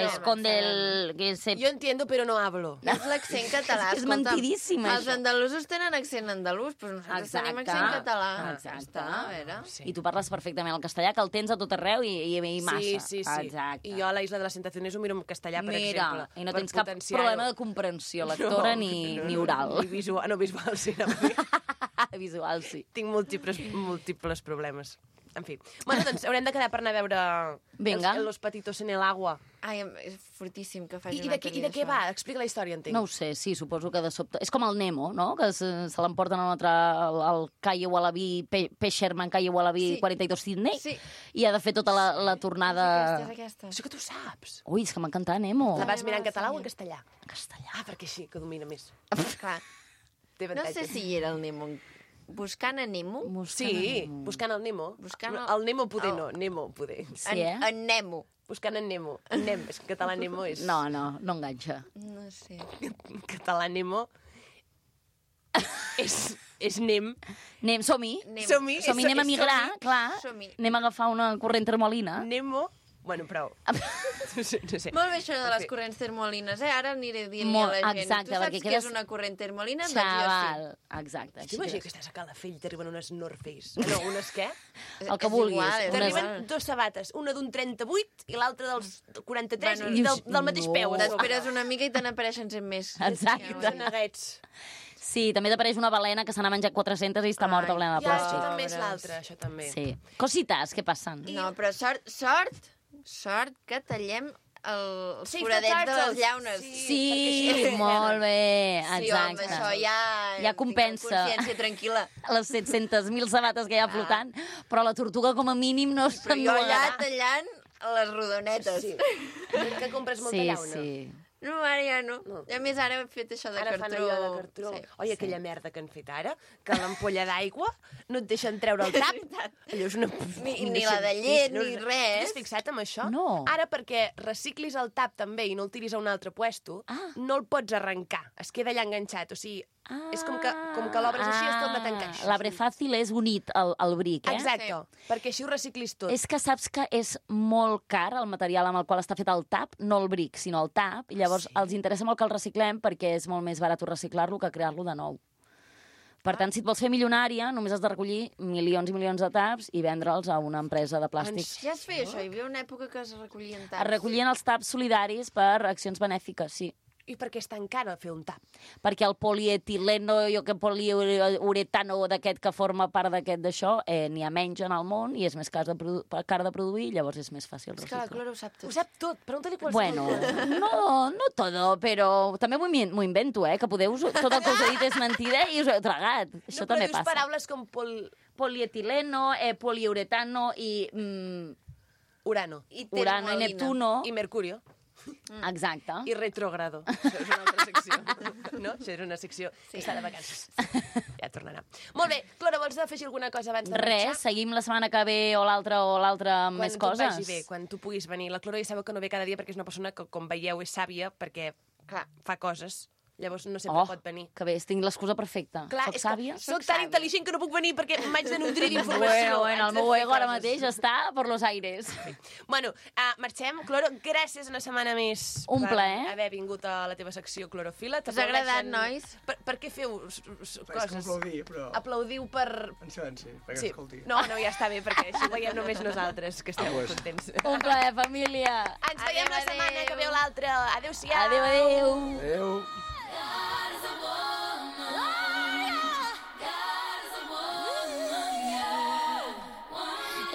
esconde el... Que se... Jo entiendo, però no hablo. És l'accent català, És escolta'm. mentidíssim, Els això. andalusos tenen accent andalús, però nosaltres tenim accent català. Exacte. A veure. I tu parles perfectament el castellà, que el tens a tot arreu i massa. Sí. Exacte. I jo a la Isla de les Tentaciones ho miro en castellà, per Mira, exemple. i no per tens cap potenciar-ho. problema de comprensió lectora ni oral. Ni visual, no, visual sí. No. Visual, sí. Tinc múltiples problemes. En fi. Bueno, doncs haurem de quedar per anar a veure Vinga. Los Patitos en el Agua. Ai, és fortíssim que faci I una de pel·li què va? Explica la història, entenc. No ho sé, sí, suposo que de sobte... És com el Nemo, no?, que se l'emporten a un altre, al Calle Wallaby, Sherman Calle Wallaby Sí. 42 Sydney, Sí. i ha de fer tota la tornada... És aquesta. Això que tu saps. Ui, és que m'encanta Nemo. La vas mirar en català o en castellà? En castellà. Ah, perquè sí, que domina més. Clar. Té No avantatge. sé si hi era el Nemo. Buscant a Nemo? Sí, buscant el Nemo. Buscant el Nemo poder no, Nemo poder. Sí, eh? En Nemo. Buscant en Nemo. En Nemo. És que en català Nemo és... No enganxa. No sé. En català Nemo és Nem. Som-hi. Som-hi. Som-hi, anem a migrar, clar. Som-hi. Anem a agafar una corrent termolina. Nemo... Bueno, prou. No sé. Molt bé això de les Sí. corrents termolines, eh? Ara aniré dient Molt, a la gent. exacte, Tu saps perquè què quedes- és una corrent termolina? Xaval. Exacte. Tu imagina que estàs a Calafell i t'arriben unes North Face. No, unes què? El que vulguis. Igual, és Unes- igual. T'arriben dos sabates, una d'un 38 i l'altra dels 43 Bueno, i del mateix no. peu. a sobre. T'esperes una mica i te n'apareixen 100 més. Exacte. De neguets. Sí, també t'apareix una balena que se n'ha menjat 400 i està morta plena de Ja, això plàstic. també és l'altre, això també. Sí. Cositas que passen. No, però sort que tallem els Sí, foradets de tots les llaunes. Sí, molt bé, Sí, home, exacte. això ja compensa. tinc consciència tranquil·la. Les 700.000 sabates que hi ha flotant, però la tortuga com a mínim no Però se'n jo allà nuegarà. tallant les rodonetes. Sí. Que compres molta Sí, llauna. sí. No, ara ja no. No. I a més, ara he fet això de Ara cartró. fan allò de cartró. Sí. Oi, aquella merda que han fet ara, que l'ampolla d'aigua no et deixen treure el tap. Allò és una... Ni la de llet, ni res. T'has fixat en això? No. Ara, perquè reciclis el tap també i no el tiris a un altre puesto, no el pots arrencar. Es queda allà enganxat. O sigui, és com que l'obres així es torna a tancar. L'arbre fàcil és unit al bric, eh? Exacte, perquè així ho reciclis tot. És que saps que és molt car el material amb el qual està fet el tap, no el bric, sinó el tap, i llavors els interessa molt que el reciclem perquè és molt més barat reciclar-lo que crear-lo de nou. Per tant, si et vols fer milionària, només has de recollir milions i milions de taps i vendre'ls a una empresa de plàstic. Ja es feia això, hi havia una època que es recollien taps. Es recollien els taps solidaris per accions benèfiques, sí. I per què és tan car fer un tap? Perquè el polietileno, poliuretano d'aquest que forma part d'aquest d'això, n'hi ha menys en el món i és més car de produir, llavors és més fàcil És que la reciclar. Clara ho sap tot. Ho sap tot, pregunta-li qualsevol. Bueno, no todo, però també m'ho invento, que tot el que us he dit és mentida i us ho he tragat. Això però també dius passa. paraules com Polietileno, poliuretano i urano, Urano i Neptuno. i mercurio, Exacte. i retrogrado. Això és una altra secció. No? Això és una secció que està de vacances. Ja tornarà. Molt bé, Clara, vols afegir alguna cosa abans de marxar? Res, seguim la setmana que ve o l'altra amb més Quan coses. tu et vagi bé, quan tu puguis venir. La Clara ja sabeu que no ve cada dia perquè és una persona que, com veieu, és sàvia perquè fa coses. Llavors no sempre pot venir. Que bé, tinc l'excusa perfecta. Clar, Soc és sàvia? que soc tan intel·ligent que no puc venir perquè m'haig de nutrir d'informació. Bueno, el Haig de meu fer ego ara coses. mateix està per los aires. Bueno, marxem. Cloro, gràcies una setmana més Un per plaer. haver vingut a la teva secció Clorofila. Us ha agradat, nois? Per què feu És com coses? aplaudir, però... Aplaudiu per... En silenci, perquè Sí. escolti. No, ja està bé, perquè així ho veiem només nosaltres, que estem pues. contents. Un plaer, família. Ens veiem la setmana que veu l'altra. Adéu-siau. Adéu, adéu. Adéu.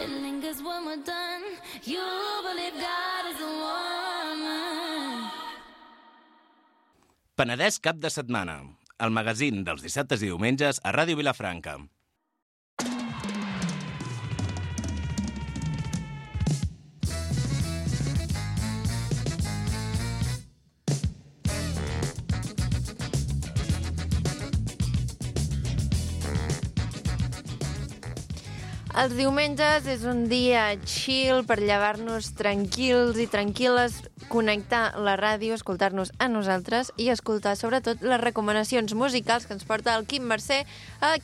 It lingers when we're done. You believe God is a woman. Penedès cap de setmana. El magazín dels dissabtes i diumenges a Ràdio Vilafranca. Els diumenges és un dia chill per llevar-nos tranquils i tranquil·les, connectar la ràdio, escoltar-nos a nosaltres i escoltar sobretot les recomanacions musicals que ens porta el Quim Mercè.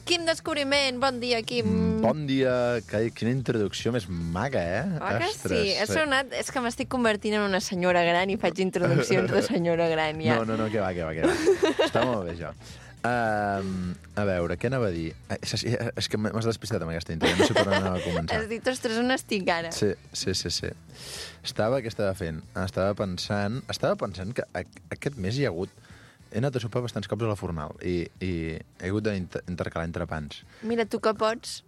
Quim Descobriment, bon dia, Quim. Bon dia, quina introducció més maca, Oh, que sí, ha sonat... És que m'estic convertint en una senyora gran i faig introduccions de senyora gran, ja. No, que va. Està molt bé, això. A veure, què anava a dir? És que m'has despistat amb aquesta intro, no sé per on anava a començar. Has dit, ostres, on estic ara? Sí. Què estava fent? Estava pensant que aquest mes hi ha hagut... He anat a sopar bastants cops a la Fornal i he hagut d'intercalar entrepans. Mira, tu que pots,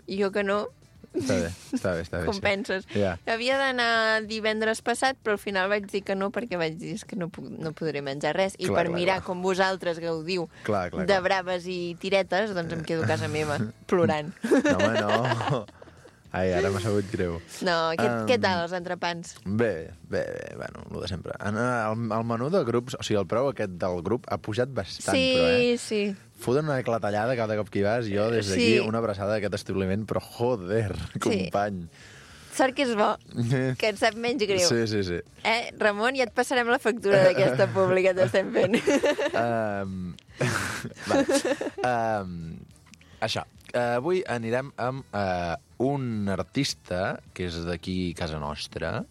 jo que no. Està bé. Compenses. Sí. Yeah. Havia d'anar divendres passat, però al final vaig dir que no, perquè vaig dir que no podré menjar res. I per mirar com vosaltres gaudiu de braves i tiretes, doncs em quedo a casa meva, plorant. No, home, no. Ai, ara m'ha sabut greu. No, què tal, els entrepans? Bé, bueno, el de sempre. El menú de grups, o sigui, el preu aquest del grup ha pujat bastant, però, Sí. Foten una clatellada cada cop que hi vas, jo des d'aquí una abraçada d'aquest establiment, però joder, company. Sort que és bo, que et sap menys greu. Sí. Ramon, ja et passarem la factura d'aquesta pública que t'estem fent. Això. Avui anirem amb un artista que és d'aquí casa nostra,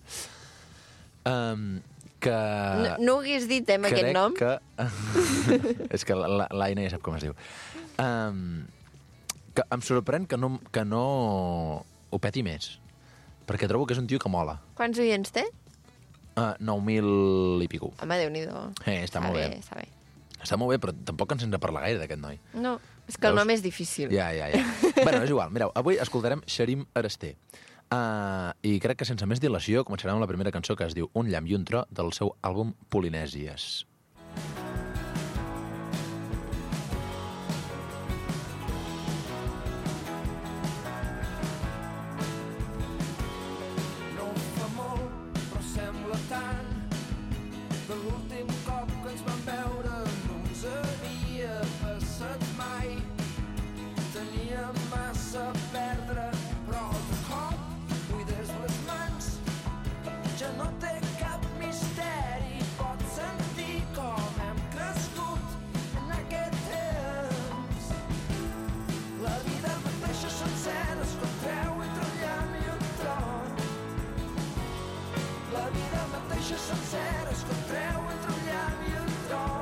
que... No ho hagués dit, aquest nom? És que l'Aina ja sap com es diu. Que em sorprèn que no ho peti més, perquè trobo que és un tio que mola. Quants oients té? 9.000 i pico. Home, Déu-n'hi-do. Està molt bé. Està molt bé, però tampoc ens hem de parlar gaire d'aquest noi. No, és que el nom és difícil. Ja. Bueno, és igual. Mireu, avui escoltarem Xarim Arasté. I crec que sense més dilació començarem amb la primera cançó, que es diu Un llamp i un tro, del seu àlbum Polinèsies. No fa molt, però sembla tant, que l'últim cop que ens vam veure no ens havia passat mai. Teníem massa a perdre, però de cop buides les mans, ja no té cap misteri, pots sentir com hem crescut en aquest temps. La vida mateixa sencera es contreu entre un llamp i un tron. La vida mateixa sencera es contreu entre un llamp i un tron.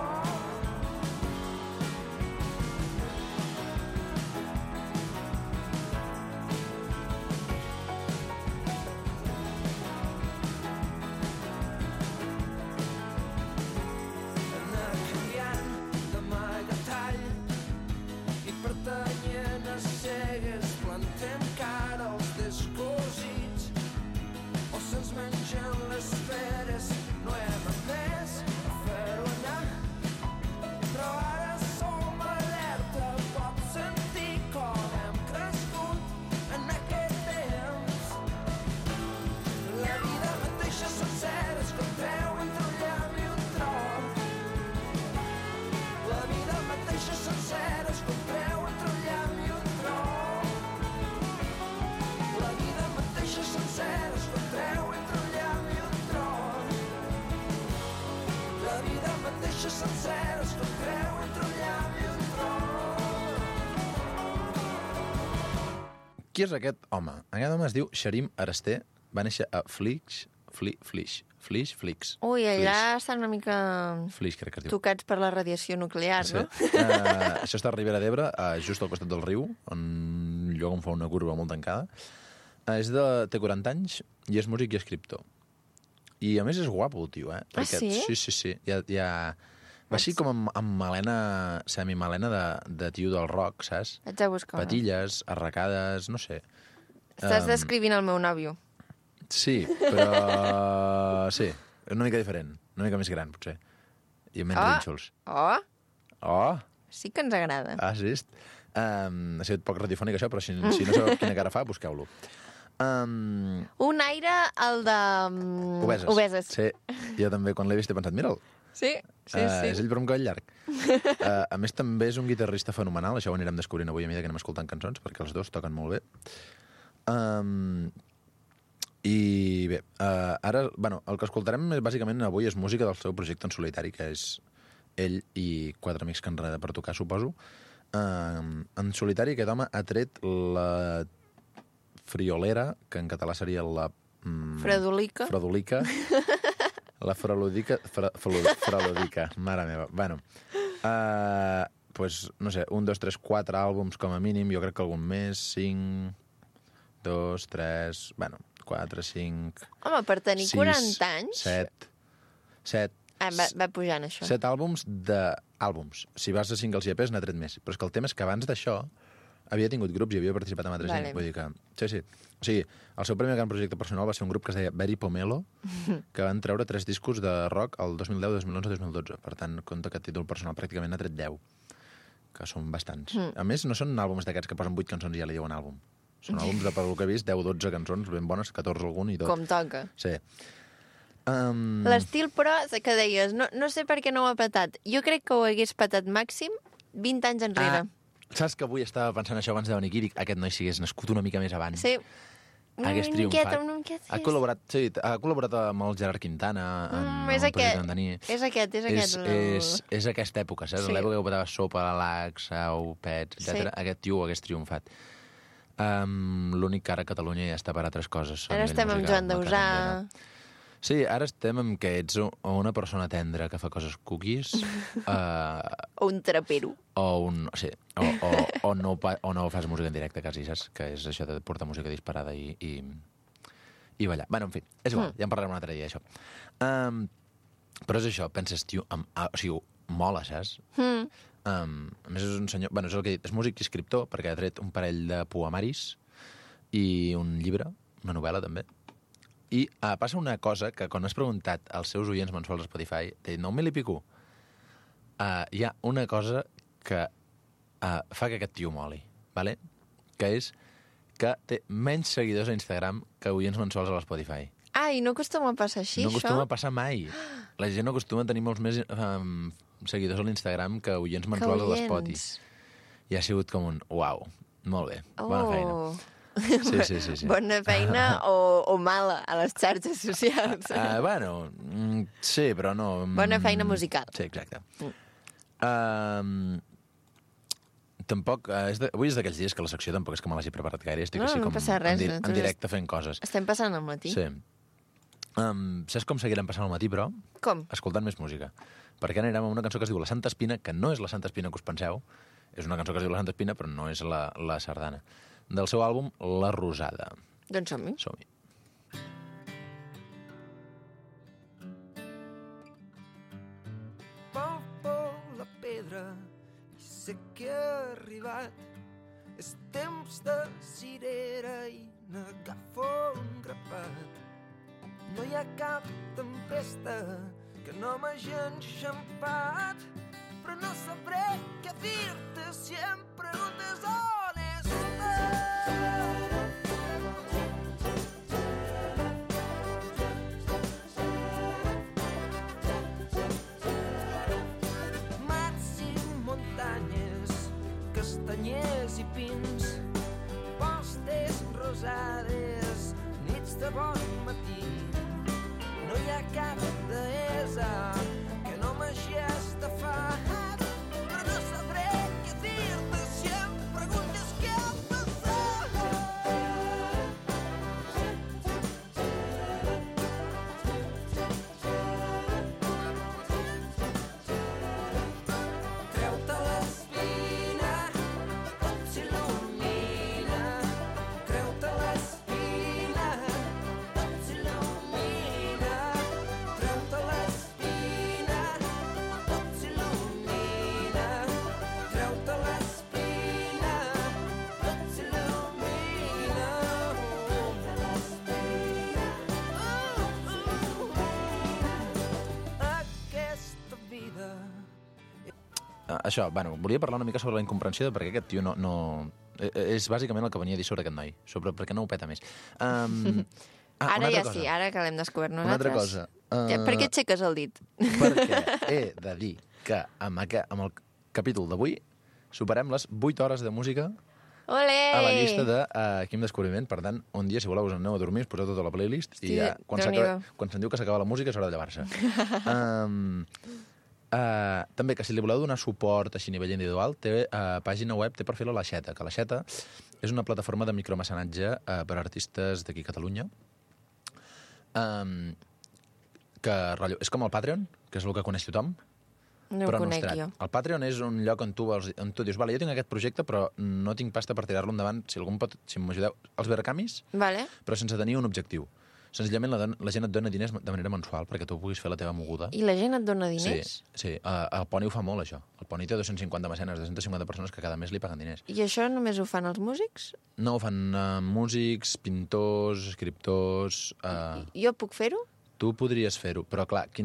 Anar canviant d'amagatall i pertanyent a cegues, plantem cara als descosits, o se'ns mengen les feres. No hem après a fer-ho anar, però ara som alerta, pots sentir com hem crescut en aquest temps. La vida mateixa sencera es contreu entre un llamp i un tron. La vida mateixa sencera es contreu entre un llamp i un tron. La vida mateixa sencera es contreu entre un llamp i un tron. La vida mateixa sencera es contreu entre un llamp i un tron. Qui és aquest home? Aquest home es diu Xarim Arasté, va néixer a Flix. Ui, allà estan una mica Flix, crec que es diu. tocats per la radiació nuclear, no? Això està a Ribera d'Ebre, just al costat del riu, un lloc on fa una curva molt tancada. Té 40 anys i és músic i escriptor. I a més és guapo el tio, Perquè, sí? Sí. Va així com amb melena, semimelena de tio del rock, saps? Haig de buscar. Patilles, arracades, no sé. Estàs descrivint el meu nòvio. Sí, però... Sí, una mica diferent. Una mica més gran, potser. I menys rínxols. Oh! Sí que ens agrada. Sí? Ha sigut poc radiofònic, això, però si no sabeu quina cara fa, busqueu-lo. Un aire, el de... Obeses. Sí, jo també, quan l'he vist, he pensat, mira'l. Sí. És ell per un coll llarg. A més, també és un guitarrista fenomenal, això ho anirem descobrint avui a mesura que anem escoltant cançons, perquè els dos toquen molt bé. I bé, ara, bueno, el que escoltarem bàsicament avui és música del seu projecte en solitari, que és ell i 4 amics que enreda per tocar, suposo. En solitari aquest home ha tret la friolera, que en català seria la... Fredolica. Fredolica. La fralodica, mare meva. Bueno, pues, no sé, 1, 2, 3, 4 àlbums com a mínim, jo crec que algun més, 5, 2, 3, bueno, 4, 5... Home, per tenir 6, 40 anys... 7. Va pujant, això. 7 àlbums d'àlbums. Si vas a singles i EPs, n'ha tret més. Però és que el tema és que abans d'això havia tingut grups i havia participat amb altra gent. Vull dir que... Sí. O sigui, el seu primer gran projecte personal va ser un grup que es deia Very Pomelo, que van treure 3 discos de rock el 2010, 2011, 2012. Per tant, compte que a títol personal pràcticament n'ha tret 10, que són bastants. A més, no són àlbums d'aquests que posen 8 cançons i ja li diuen àlbum. Són àlbums de, pel que he vist, 10 o 12 cançons ben bones, 14 algun i tot. Com toca. Sí. L'estil, però, que deies, no sé per què no ho ha patat. Jo crec que ho hagués patat màxim 20 anys enrere. Saps que avui estava pensant això abans de venir aquí? Aquest noi si hagués nascut una mica més abans. Sí. Hagués triomfat. Una miqueta, ha col·laborat amb el Gerard Quintana en és el projecte d'en Dani. És aquest. És aquesta època, saps? Sí. L'època que botava Sopa, Lax, Sau, Pets, etc. Sí. Aquest tio ho hagués triomfat. L'únic que ara a Catalunya ja està per altres coses. Ara estem amb Joan Dausà. Sí, ara estem amb que ets una persona tendra que fa coses cookies. O un trapero. O no fas música en directe, quasi, saps? Que és això de portar música disparada i ballar. Bueno, en fi, és igual, ja en parlarem un altre dia, això. Però és això, penses, tio, o sigui, mola, saps? A més, és un senyor... Bueno, és el que he dit, és músic i escriptor, perquè ha tret un parell de poemaris i un llibre, una novel·la, també. I passa una cosa que quan has preguntat als seus oients mensuals a Spotify, t'he dit 9.000 i pico, hi ha una cosa que fa que aquest tio moli, ¿vale? Que és que té menys seguidors a Instagram que oients mensuals a l'Spotify. I no acostuma a passar així, no això? No acostuma a passar mai. La gent no acostuma a tenir molts més seguidors a l'Instagram que oients mensuals a l'Spotify. I ha sigut com un uau, molt bé, bona feina. Sí. Bona feina o mala a les xarxes socials? Bueno, sí, però no... Bona feina musical. Sí, exacte. Tampoc... Avui és d'aquells dies que la secció tampoc és que me l'hagi preparat gaire. Estic així com en directe fent coses. Estem passant al matí. Sí. Saps com seguirem passant al matí, però? Com? Escoltant més música. Perquè anirem a una cançó que es diu La Santa Espina, que no és la Santa Espina que us penseu. És una cançó que es diu La Santa Espina, però no és la sardana. Del seu àlbum La Rosada. Doncs som-hi. Som-hi. Palpo la pedra i sé que ha arribat. És temps de cirera i n'agafo un grapat. No hi ha cap tempesta que no m'hagi enxampat, però no sabré què dir-te si em preguntes on mats i muntanyes, castanyers i pins, postes rosades, nits de bon matí. No hi ha cap deessa que no m'hagi estafat, però no sabré què dir-te si em preguntes què ha passat. Treu-te l'espina, tot s'il·lumina. Treu-te l'espina, tot s'il·lumina. Treu-te l'espina, tot s'il·lumina. Treu-te l'espina, tot s'il·lumina. Aquesta vida... Això, bueno, volia parlar una mica sobre la incomprensió de per què aquest tio no... És bàsicament el que venia a dir sobre aquest noi, sobre per què no ho peta més. Ara ja sí, ara que l'hem descobert nosaltres. Una altra cosa. Per què aixeques el dit? Perquè he de dir que amb el capítol d'avui superem les 8 hores de música Olé! a la llista de Quim Descobriment. Per tant, un dia, si voleu, us aneu a dormir, us poseu tota la playlist i ja, quan se'n diu que s'acaba la música, és hora de llevar-se. També, que si li voleu donar suport així a nivell individual, té pàgina web, té perfil a l'Aixeta, que l'Aixeta és una plataforma de micromecenatge per a artistes d'aquí a Catalunya, que rotllo, és com el Patreon, que és el que coneix tothom, No però ho conec nostrat. jo. El Patreon és un lloc on tu dius, vale, jo tinc aquest projecte, però no tinc pasta per tirar-lo endavant, si m'ajudeu, els vercamis, Vale. però sense tenir un objectiu. Senzillament la gent et dona diners de manera mensual perquè tu puguis fer la teva moguda. I la gent et dona diners? Sí. El Poni ho fa molt, això. El Poni té 250 mecenes, 250 persones que cada mes li paguen diners. I això només ho fan els músics? No, ho fan músics, pintors, escriptors... Jo puc fer-ho? Tu podries fer-ho, però clar, què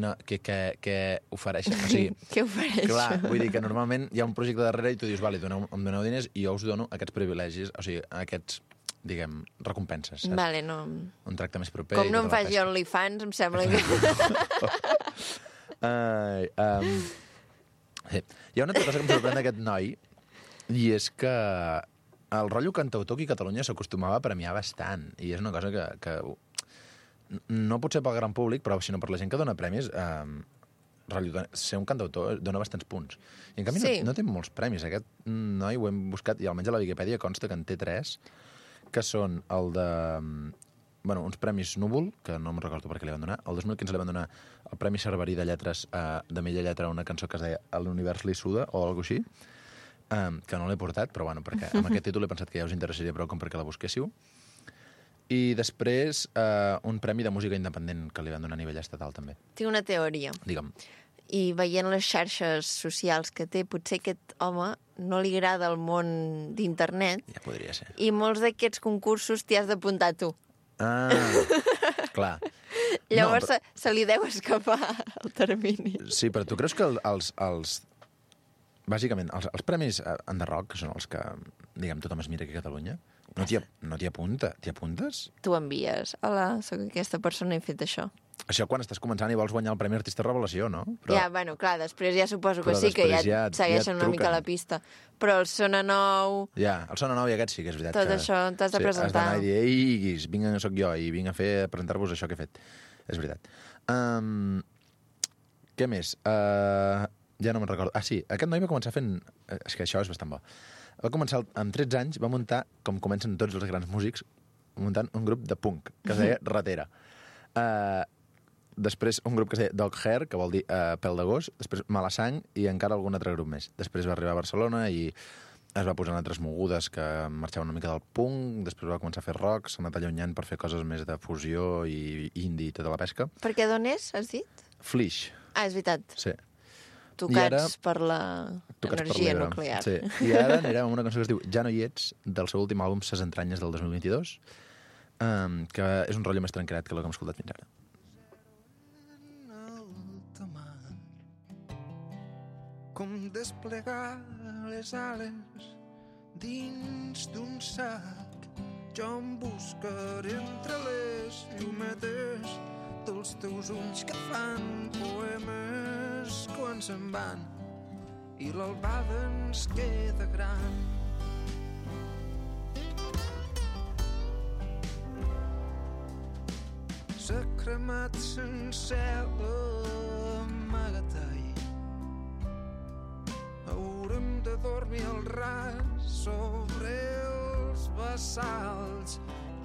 ofereixen? O sigui, Què ofereixo? clar, vull dir que normalment hi ha un projecte darrere i tu dius, vale, em doneu diners i jo us dono aquests privilegis, o sigui, aquests, diguem, recompenses, saps? Vale, no. Un tracte més proper... Com no em tota la faci pesca. OnlyFans, em sembla que... Sí. Hi ha una altra cosa que em sorprèn d'aquest noi, i és que el rotllo cantautor aquí a Catalunya s'acostumava a premiar bastant, i és una cosa que no potser pel gran públic, però sinó per la gent que dona premis, rotllo, ser un cantautor dona bastants punts. I en canvi Sí. no té molts premis. Aquest noi ho hem buscat, i almenys a la Viquipèdia consta que en té 3, que són el de... Bueno, uns premis Núvol, que no me'n recordo per què li van donar. El 2015 li van donar el Premi Cerverí de Lletres de millor lletra a una cançó que es deia L'univers li suda, o alguna cosa així, que no l'he portat, però bueno, perquè amb aquest títol he pensat que ja us interessaria prou com perquè la busquéssiu. I després un premi de música independent que li van donar a nivell estatal, també. Tinc una teoria. Digue'm. I veient les xarxes socials que té, potser aquest home no li agrada el món d'internet Ja podria ser. i molts d'aquests concursos t'hi has d'apuntar tu. Clar. Llavors No, se li deu escapar el termini. Sí, però tu creus que bàsicament, els premis Enderrock, que són els que, diguem, tothom es mira aquí a Catalunya, no t'hi apunta. T'hi apuntes? Tu envies. Hola, sóc aquesta persona i he fet això. Això quan estàs començant i vols guanyar el Premi Artista Revelació, no? Ja, bueno, clar, després ja suposo que Però sí, que ja després et segueixen una mica la pista. Però el Sona Nou... Ja, el Sona Nou i aquest sí que és veritat. Tot això t'has de presentar. Has d'anar i dir, ei, guis, soc jo, i vinc a presentar-vos això que he fet. És veritat. Què més? Ja no me'n recordo. Ah, sí, aquest noi va començar fent... És que això és bastant bo. Va començar amb 13 anys, va muntar, com comencen tots els grans músics, muntant un grup de punk, que es deia Ratera. Després un grup que es deia Dog Hair, que vol dir pèl de gos, després Malasang i encara algun altre grup més. Després va arribar a Barcelona i es va posar en altres mogudes que marxaven una mica del punk, després va començar a fer rock, s'ha anat allunyant per fer coses més de fusió i indie i tota la pesca. Perquè d'on és, has dit? Flix. Ah, és veritat. Sí. Tocats per l'energia nuclear. Sí. I ara anirem a una cançó que es diu Ja no hi ets, del seu últim àlbum Ses entranyes del 2022, que és un rotllo més tranquil·let que el que hem escoltat fins ara. Com desplegar les ales dins d'un sac. Jo em buscaré entre les llumetes dels teus ulls que fan poemes quan se'n van i l'albada ens queda gran. S'ha cremat sencer l'amagatall. Haurem de dormir al ras sobre els bassals.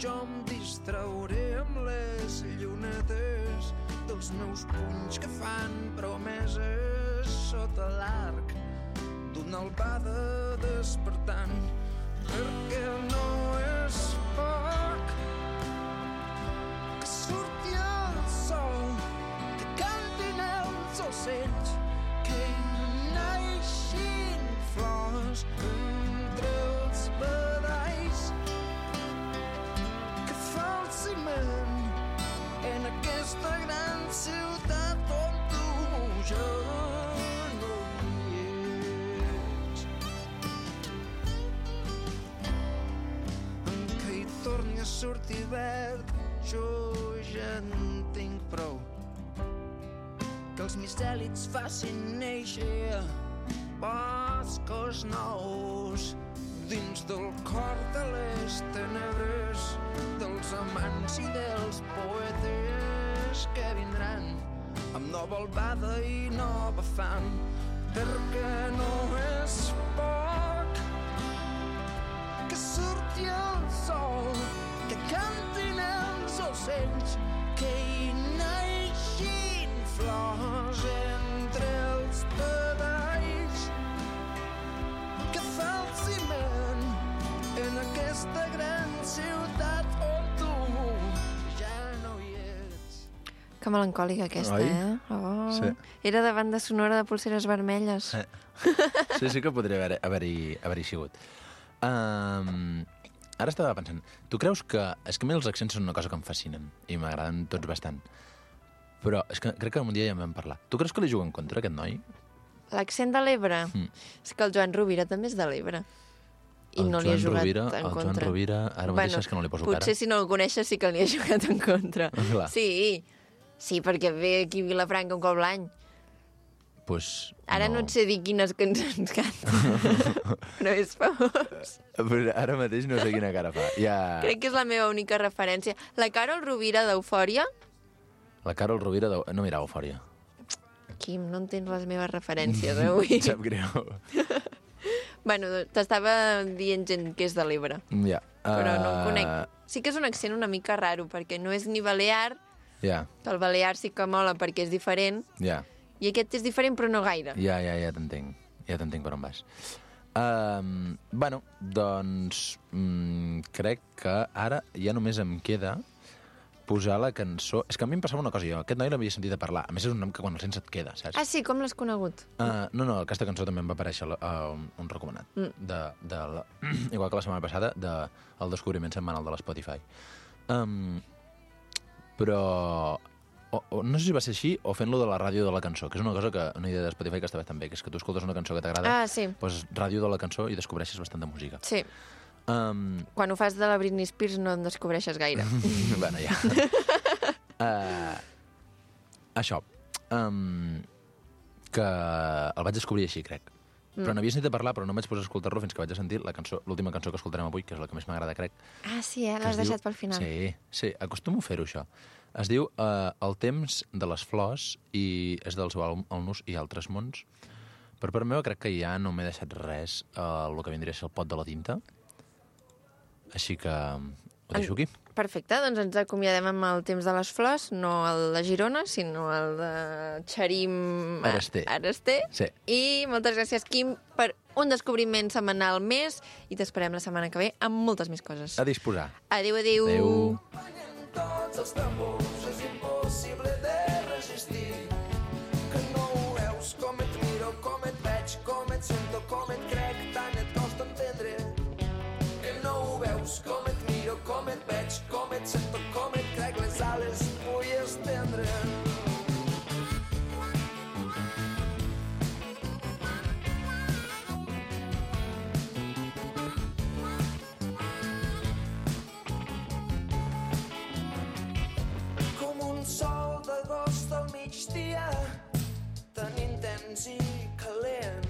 Jo em distrauré amb les llunetes dels meus punys que fan promeses sota l'arc d'una albada despertant, perquè no és poc que surti el sol, que cantin els ocells, que naixin flors entre els badalls, que fa el ciment en aquesta gran ciutat on tu ja no hi ets. En que hi torni a sortir verd, jo ja en tinc prou. Que els micèlids facin néixer boscos nous dins del cor de les tenebres dels amants i dels poetes que vindran amb nova albada i nova fam, perquè no és poc que surti el sol, que cantin els ocells, que hi naixin flors entre els pedalls, que fa el ciment en aquesta gran ciutat on tu ja no hi ets. Que melancòlica aquesta, Oi? Oh. Sí. Era de banda sonora de Pulseres Vermelles. Sí que podria haver-hi sigut. Ara estava pensant, tu creus que... És que a mi els accents són una cosa que em fascinen i m'agraden tots bastant. Però és que crec que un dia ja en vam parlar. Tu creus que li juga en contra, aquest noi? L'accent de l'Ebre? És que el Joan Rovira també és de l'Ebre. I no li ha jugat en contra. El Joan Rovira, ara mateix és que no li poso cara. Potser si no el coneixes sí que li ha jugat en contra. Clar. Sí, perquè ve aquí a Vilafranca un cop l'any. Pues Ara no et sé dir quines cançons canta, però és famós. Però ara mateix no sé quina cara fa. Crec que és la meva única referència. La Carol Rovira d'Eufòria... La Carol Rovira no mirava Eufòria. Quim, no entens les meves referències avui. Em sap greu. Bueno, t'estava dient gent que és de l'Ebre, Ja. però no en conec. Sí que és un accent una mica raro, perquè no és ni balear, Ja, que el balear sí que mola perquè és diferent, ja. i aquest és diferent però no gaire. Ja t'entenc. Ja t'entenc per on vas. Bueno, doncs crec que ara ja només em queda posar la cançó... És que a mi em passava una cosa, jo aquest noi l'havia sentit a parlar. A més, és un nom que quan el sents et queda, saps? Ah, sí? Com l'has conegut? No, aquesta cançó també em va aparèixer un recomanat. Igual que la setmana passada, del descobriment setmanal de l'Spotify. Però... no sé si va ser així o fent-lo de la ràdio de la cançó, que és una cosa que una idea de Spotify que està bastant bé, que és que tu escoltes una cançó que t'agrada, sí. Doncs ràdio de la cançó i descobreixes bastant de música. Sí. Quan ho fas de la Britney Spears no en descobreixes gaire. Bueno, ja. Això. Que el vaig descobrir així, crec. Però n'havia sentit a parlar, però no vaig posar a escoltar-lo fins que vaig a sentir l'última cançó que escoltarem avui, que és la que més m'agrada, crec. Ah, sí, l'has deixat pel final. Sí, acostumo a fer-ho, això. Es diu El temps de les flors i és del seu àlbum El nus i altres mons. Per part meva crec que ja no m'he deixat res el que vindria a ser el pot de la tinta. Així que ho deixo aquí. Perfecte, doncs ens acomiadem amb el temps de les flors, no el de Girona, sinó el de Xarim Araster. Sí. I moltes gràcies, Quim, per un descobriment setmanal més i t'esperem la setmana que ve amb moltes més coses. A disposar. Adéu, adéu. Adéu. Tots els tambors és impossible de resistir, que no ho veus, com et miro, com et veig, com et sento, com et crec, tant et costa entendre, que no ho veus, com et miro, com et veig, com et sento, com et crec, les ales vull estendre. Sol d'agost al migdia, tan intens i calent,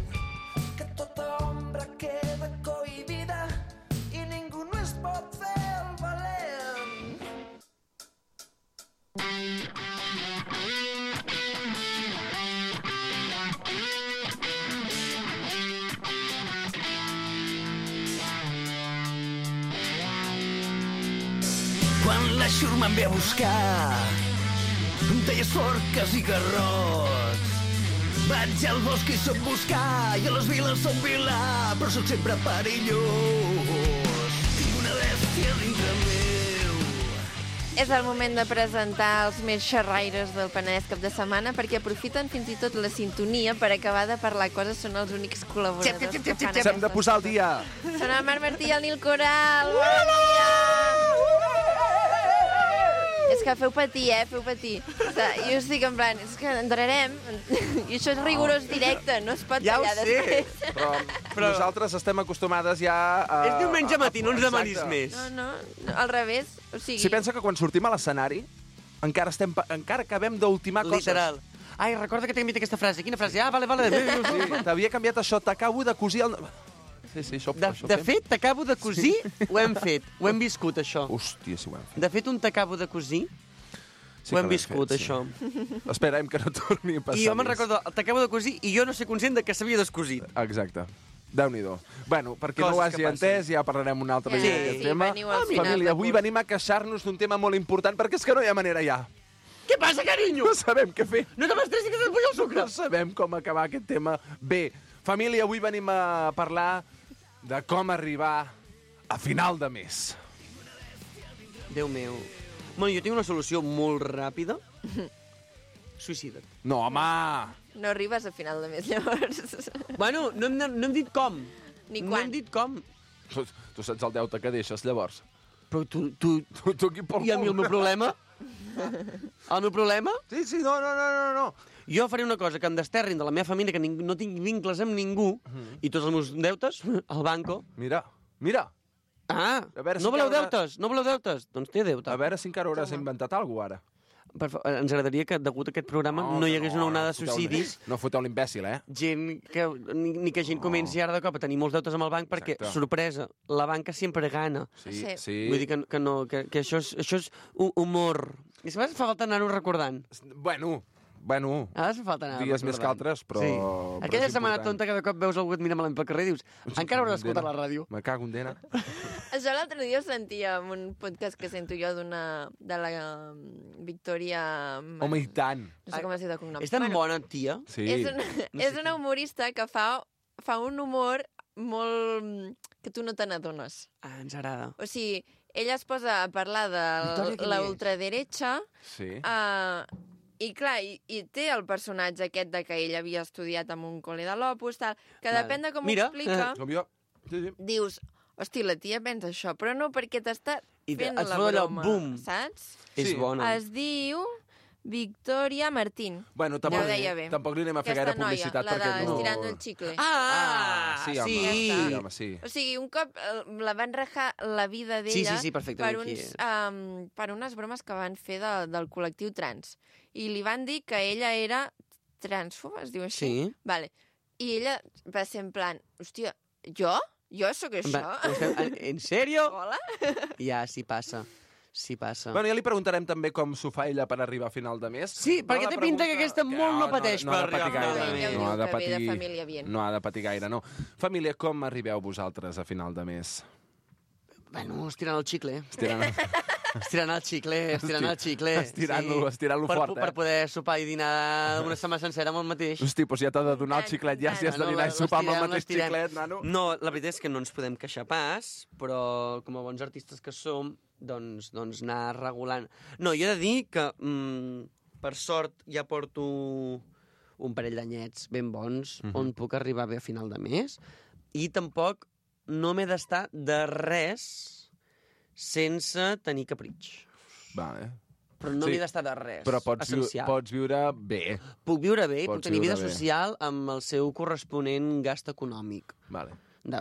que tota ombra queda cohibida i ningú no es pot fer el valent. Quan la xurma em ve a buscar, deies forques i garrots. Vaig al bosc i soc buscar, i a les viles soc vilà, però soc sempre perillós. Tinc una bèstia dintre meu. És el moment de presentar els més xerraires del Penedès cap de setmana, perquè aprofiten fins i tot la sintonia per acabar de parlar coses, són els únics col·laboradors que fan aquestes. S'hem de posar al dia. Són el Marc Martí i el Nil Coral. Bon dia! És que feu patir, feu patir. Jo estic en plan, és que entrarem, i això és rigorós directe, no es pot Ja ho tallar sé, després. però nosaltres estem acostumades ja a... És diumenge matí, no ens demanis més. No, al revés. O sigui... Si pensa que quan sortim a l'escenari encara acabem d'ultimar coses. Literal. Ai, recorda que t'he enviat aquesta frase. Quina frase? Ah, vale. Sí, t'havia canviat això, t'acabo de cosir el... sí, això De fet, t'acabo de cosir, ho hem fet, ho hem viscut, això. Hòstia, sí ho hem fet. De fet, un t'acabo de cosir, Sí ho hem que l'hem viscut, fet, sí. això. Esperem que no torni a passar I jo me'n més. recordo, t'acabo de cosir i jo no sé conscient de que s'havia descosit. Exacte. Déu-n'hi-do. Bueno, perquè no ho Coses que hagi passen. entès, ja parlarem un altre Sí, dia d'aquest sí, tema. veniu al final Família, de avui curs. venim a queixar-nos d'un tema molt important, perquè és que no hi ha manera ja. Què passa, carinyo? No sabem què fer. No te m'estressis que se't puja el sucre. No sabem com acabar aquest tema. Bé, família, avui venim a parlar de com arribar a final de mes. Déu meu. Bueno, jo tinc una solució molt ràpida. Suïcida't. No, home! No arribes a final de mes, llavors. Bueno, no hem dit com. Ni No quan. hem dit com. Tu saps el deute que deixes, llavors. Però tu Tu aquí pel I a mi el meu problema? El meu problema? Sí, sí, no. Jo faré una cosa, que em desterrin de la meva família, que no tinc vincles amb ningú, i tots els meus deutes, al banco. Mira. Ah, A veure si no voleu encara- deutes? No voleu deutes? Doncs té deute. A veure si encara hauràs inventat alguna cosa, ara. Ens agradaria que, degut a aquest programa, no hi hagués una onada de suïcidis. No foteu l'imbècil, eh? Gent que, ni que gent comenci ara de cop a tenir molts deutes amb el banc, perquè, Exacte. sorpresa, la banca sempre gana. Sí, Sí. sí. Vull dir que això és humor. I a vegades fa falta anar-ho recordant. Bueno, A vegades fa falta anar-ho dies més que recordant. altres, però... Sí. però Aquella és setmana important. tonta que de cop veus algú et mira malament pel carrer i dius encara hauràs d'escoltar la ràdio. Me cago en dena. Això l'altre dia ho sentia en un podcast que sento jo de la Victòria... Home, i tant. No sé com es diu de cognom. És tan bona, tia. Sí. És una humorista que fa un humor molt... que tu no te n'adones. Ah, ens agrada. O sigui, ella es posa a parlar Victòria, de qui la és? ultraderecha Sí. i clar, i té el personatge aquest de que ell havia estudiat en un col·le de l'Opus, tal, que Vale. depèn de com Mira. ho explica, Com jo. Sí. dius, hosti, la tia pensa això, però no perquè t'està I fent et la fot allò, broma, bum. saps? És Sí. bona. Es diu Victòria Martín. Bueno, Ja ho deia bé. tampoc li anem a fer gaire Aquesta publicitat. noia, la de perquè no... Estirando el Chicle. Sí, home. Sí, home, sí. O sigui, un cop la van rajar la vida d'ella Sí, perfectament per, qui uns, és. per unes bromes que van fer del col·lectiu trans. I li van dir que ella era transfoba, es diu així? Sí. Vale. I ella va ser en plan, hòstia, jo? Jo sóc això? En sèrio? Hola? Ja, sí passa. Sí passa. Bueno, ja li preguntarem també com s'ho fa ella per arribar a final de mes. Sí, perquè té pinta que aquesta molt no pateix per ha de patir arribar a final de gaire. mes. Ella ho No ha diu de que ve de patir, família bien. no ha de patir gaire, no. Família, com arribeu vosaltres a final de mes? Bueno, estirant el xicle. Estirant... Estirant el xicle. Estirant-lo fort, Per poder sopar i dinar una setmana sencera amb el mateix. Hosti, doncs ja t'ha de donar el xiclet ja, si has de dinar i sopar amb el mateix l'estirem. xiclet, nano. No, la veritat és que no ens podem queixar pas, però com a bons artistes que som, doncs anar regulant. No, jo he de dir que, per sort, ja porto un parell d'anyets ben bons, on puc arribar bé a final de mes, i tampoc no m'he d'estar de res sense tenir capritx. Vale. Però no Sí. m'he d'estar de res. Però pots viure bé. Puc viure bé, Pots puc tenir vida viure bé. social amb el seu corresponent gast econòmic. Vale.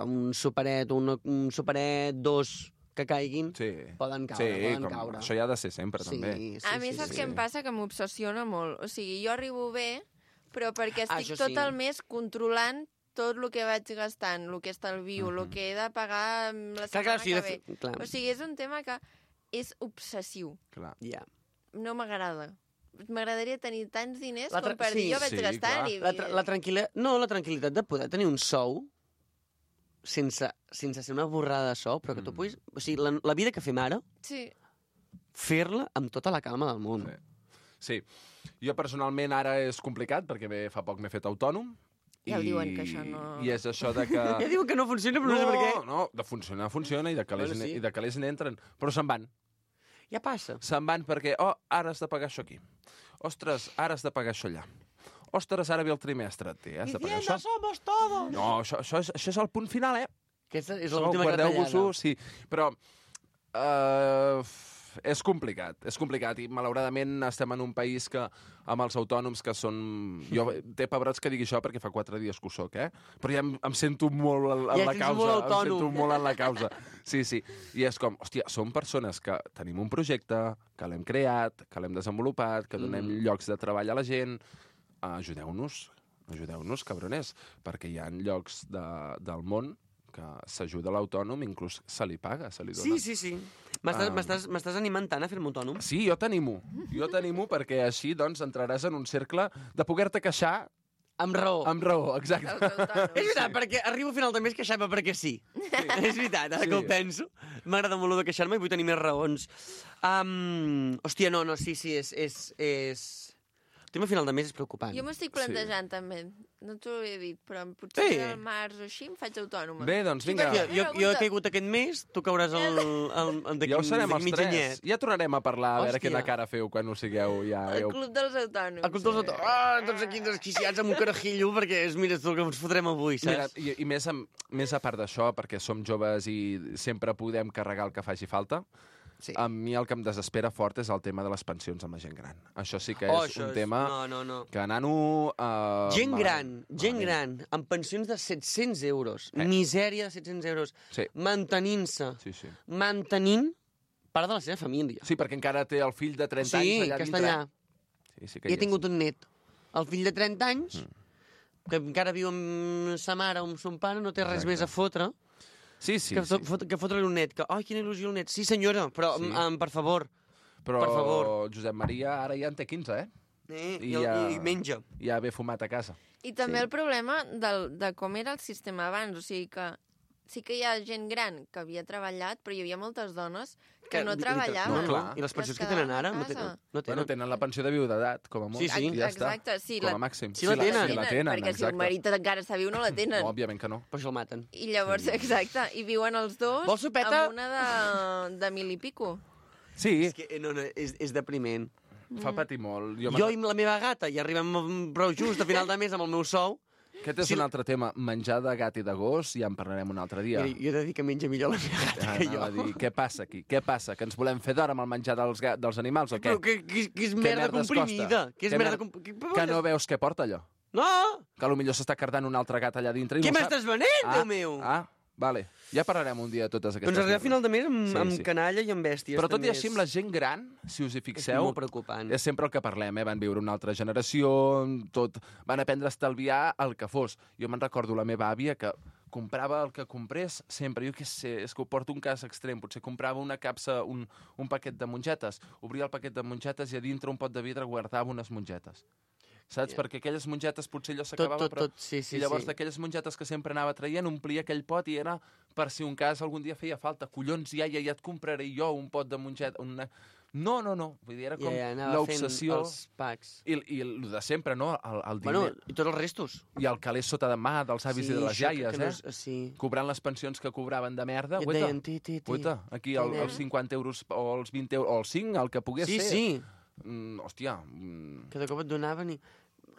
Un superet, un superet, dos que caiguin, Sí. poden caure, Sí, poden caure. això ja ha de ser sempre, també. A mi saps què em passa? Que m'obsessiona molt. O sigui, jo arribo bé, però perquè estic això tot sí. el mes controlant tot el que vaig gastant, el que estalvio, el que he de pagar la setmana sí, que ve. clar. O sigui, és un tema que és obsessiu. Clar. Ja. No m'agrada. M'agradaria tenir tants diners La com per dir jo vaig sí, gastant clar. i... La tranquil·litat de poder tenir un sou sense ser una borrada de sou, però que tu puguis... O sigui, la vida que fem ara, Sí. fer-la amb tota la calma del món. Sí. Jo personalment ara és complicat, perquè fa poc m'he fet autònom. Ja ho diuen, que això no... I és això de que... Ja diuen que no funciona, però no sé per què. No, de funcionar funciona i de calés, Bueno, sí. i de calés n'entren. Però se'n van. Ja passa. Se'n van perquè, ara has de pagar això aquí. Ostres, ara has de pagar això allà. Ostres, ara ve el trimestre. Has de pagar això. somos todos! No, això és el punt final, eh? Aquesta és l'última Guardeu-vos-ho, retallada. sí. Però és complicat i malauradament estem en un país que amb els autònoms que són... Jo té pebrots que digui això perquè fa 4 dies que ho soc, Però ja em sento molt en Ja la ets causa. molt Em autònom. sento molt en la causa. Sí, sí. I és com, hòstia, som persones que tenim un projecte, que l'hem creat, que l'hem desenvolupat, que donem llocs de treball a la gent. Ajudeu-nos, cabrones, perquè hi ha llocs del món que s'ajuda l'autònom, inclús se li paga, se li dona. Sí. M'estàs animant tant a fer-me autònom? Sí, jo t'animo perquè així doncs entraràs en un cercle de poder-te queixar amb raó. Amb raó, exacte. És veritat, perquè arribo al final de mes queixant-me perquè sí. És veritat, ara que ho penso. M'agrada molt de queixar-me i vull tenir més raons. Hòstia, no, sí, és... El tema final de mes és preocupant. Jo m'estic plantejant, també. No t'ho he dit, però potser al març o així em faig autònoma. Bé, doncs vinga. Jo he caigut aquest mes, tu cauràs ja ho serem els tres. Ja tornarem a parlar, a veure quina cara feu quan ho sigueu. El Club dels Autònoms. El Club dels Autònoms. Tots aquí desquiciats amb un carajillo, perquè mira tu el que ens fotrem avui, saps? I més a part d'això, perquè som joves i sempre podem carregar el que faci falta, a mi el que em desespera fort és el tema de les pensions amb la gent gran. Això sí que és un tema que nano... Gent gran, amb pensions de 700 euros, misèria de 700 euros, mantenint-se, mantenint part de la seva família. Sí, perquè encara té el fill de 30 anys allà dintre. Sí, que està allà. I he tingut un net. El fill de 30 anys, que encara viu amb sa mare o amb son pare, no té res més a fotre. Sí. Que fotre-li un net. Ai, quina il·lusió el net. Sí, senyora, però per favor. Però Josep Maria ara ja en té 15, I menja. I ja ve fumat a casa. I també el problema de com era el sistema abans. O sigui que sí que hi ha gent gran que havia treballat, però hi havia moltes dones que no treballaven. I les pensions que tenen ara? No tenen. Bueno, tenen la pensió de viudedat, com a molt. Sí, ja està. Exacte, sí. Com a màxim. Sí, la tenen. Perquè si el marit encara està viu, no la tenen. No, òbviament que no. Per això el maten. I llavors, exacte, i viuen els dos amb una de 1.000 i pico. Sí. És que és depriment. Fa patir molt. Jo i la meva gata ja arribem prou just a final de mes amb el meu sou. Aquest és un altre tema. Menjar de gat i de gos, ja en parlarem un altre dia. Jo he de dir que menja millor la meva gata que jo. Dir, què passa aquí? Què passa? Que ens volem fer d'hora amb el menjar dels animals o què? Però que és merda comprimida. Que no veus què porta allò? No! Que potser s'està cardant un altre gat allà dintre i què m'estàs venent, Déu meu? Vale. Ja parlarem un dia de totes aquestes coses. Doncs arriba a final de mes amb canalla i amb bèsties. Però tot i així, amb la gent gran, si us hi fixeu... És molt preocupant. És sempre el que parlem, Van viure una altra generació, van aprendre a estalviar el que fos. Jo me'n recordo la meva àvia que comprava el que comprés sempre. Jo què sé, és que ho porto un cas extrem. Potser comprava una capsa, un paquet de mongetes. Obria el paquet de mongetes i a dintre un pot de vidre guardava unes mongetes. Saps? Perquè aquelles mongetes potser allò s'acabava, i llavors d'aquelles mongetes que sempre anava traient, omplia aquell pot i era per si un cas algun dia feia falta. Collons, iaia, ja et compraré jo un pot de mongeta. No. Vull dir, era com l'obsessió. Els packs. I el de sempre, no? El diner. Bueno, i tots els restos. I el calés sota de mà dels avis i de les iaies, cobrant les pensions que cobraven de merda. Guaita, aquí els 50 euros o els 20 euros, o els 5, el que pogués ser. Sí. Hòstia. Que de cop et donaven i...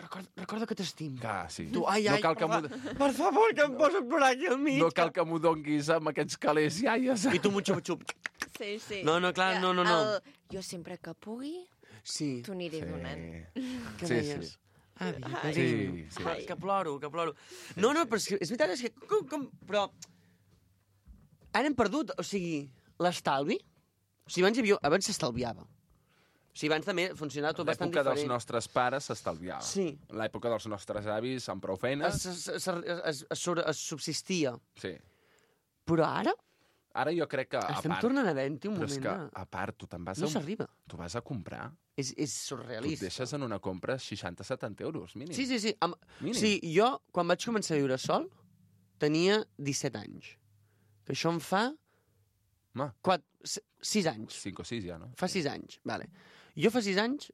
Recorda que t'estim. Sí. Tu, per favor, que em poso a plorar aquí al mig. No cal que m'ho donguis amb aquests calés iaies. I tu m'ho xup-xup. Sí. No, clar, no. Jo sempre que pugui, t'ho aniré donant. Què deies? Sí. Que ploro. No, però és veritat, és que... Però... Ara hem perdut, o sigui, l'estalvi. O sigui, abans s'estalviava. O sigui, abans també funcionava tot bastant diferent. L'època dels nostres pares s'estalviava. Sí. L'època dels nostres avis, amb prou feines... Es subsistia. Sí. Però ara... Ara jo crec que... Estem tornant a havent-hi un moment... Però és que, a part, tu te'n vas no s'arriba. Tu vas a comprar... És surrealista. Tu et deixes en una compra 60-70 euros, mínim. Sí. Mínim. Sí, jo, quan vaig començar a viure sol, tenia 17 anys. Que això em fa... 6 anys. 5 o 6 ja, no? Fa 6 anys, vale. Jo fa 6 anys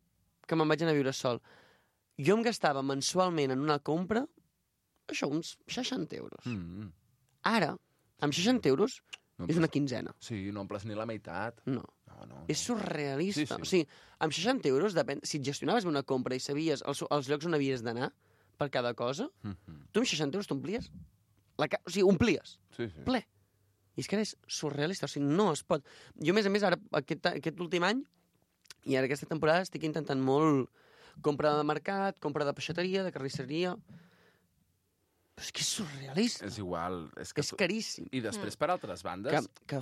que me'n vaig anar a viure sol. Jo em gastava mensualment en una compra, això, uns 60 euros. Ara, amb 60 euros, és una quinzena. Sí, no omples ni la meitat. No. És surrealista. Sí. O sigui, amb 60 euros, si et gestionaves bé una compra i sabies els llocs on havies d'anar per cada cosa, tu amb 60 euros t'omplies. O sigui, omplies. Sí. Ple. I és que ara és surrealista, o sigui, no es pot. Jo, a més, ara, aquest últim any, i ara aquesta temporada estic intentant molt compra de mercat, compra de peixateria, de carnisseria... Però és que és surrealista. És igual. És caríssim. I després, per altres bandes... Que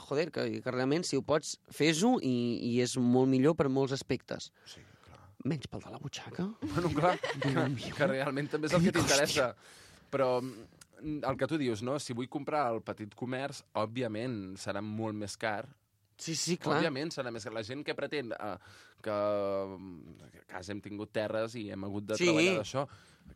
realment, si ho pots, fes-ho i és molt millor per molts aspectes. Sí, clar. Menys pel de la butxaca. Bueno, clar, que realment també és el que t'interessa. Però el que tu dius, no? Si vull comprar al petit comerç, òbviament serà molt més car. Sí, clar. Òbviament serà més car. La gent que pretén que a casa hem tingut terres i hem hagut de treballar d'això,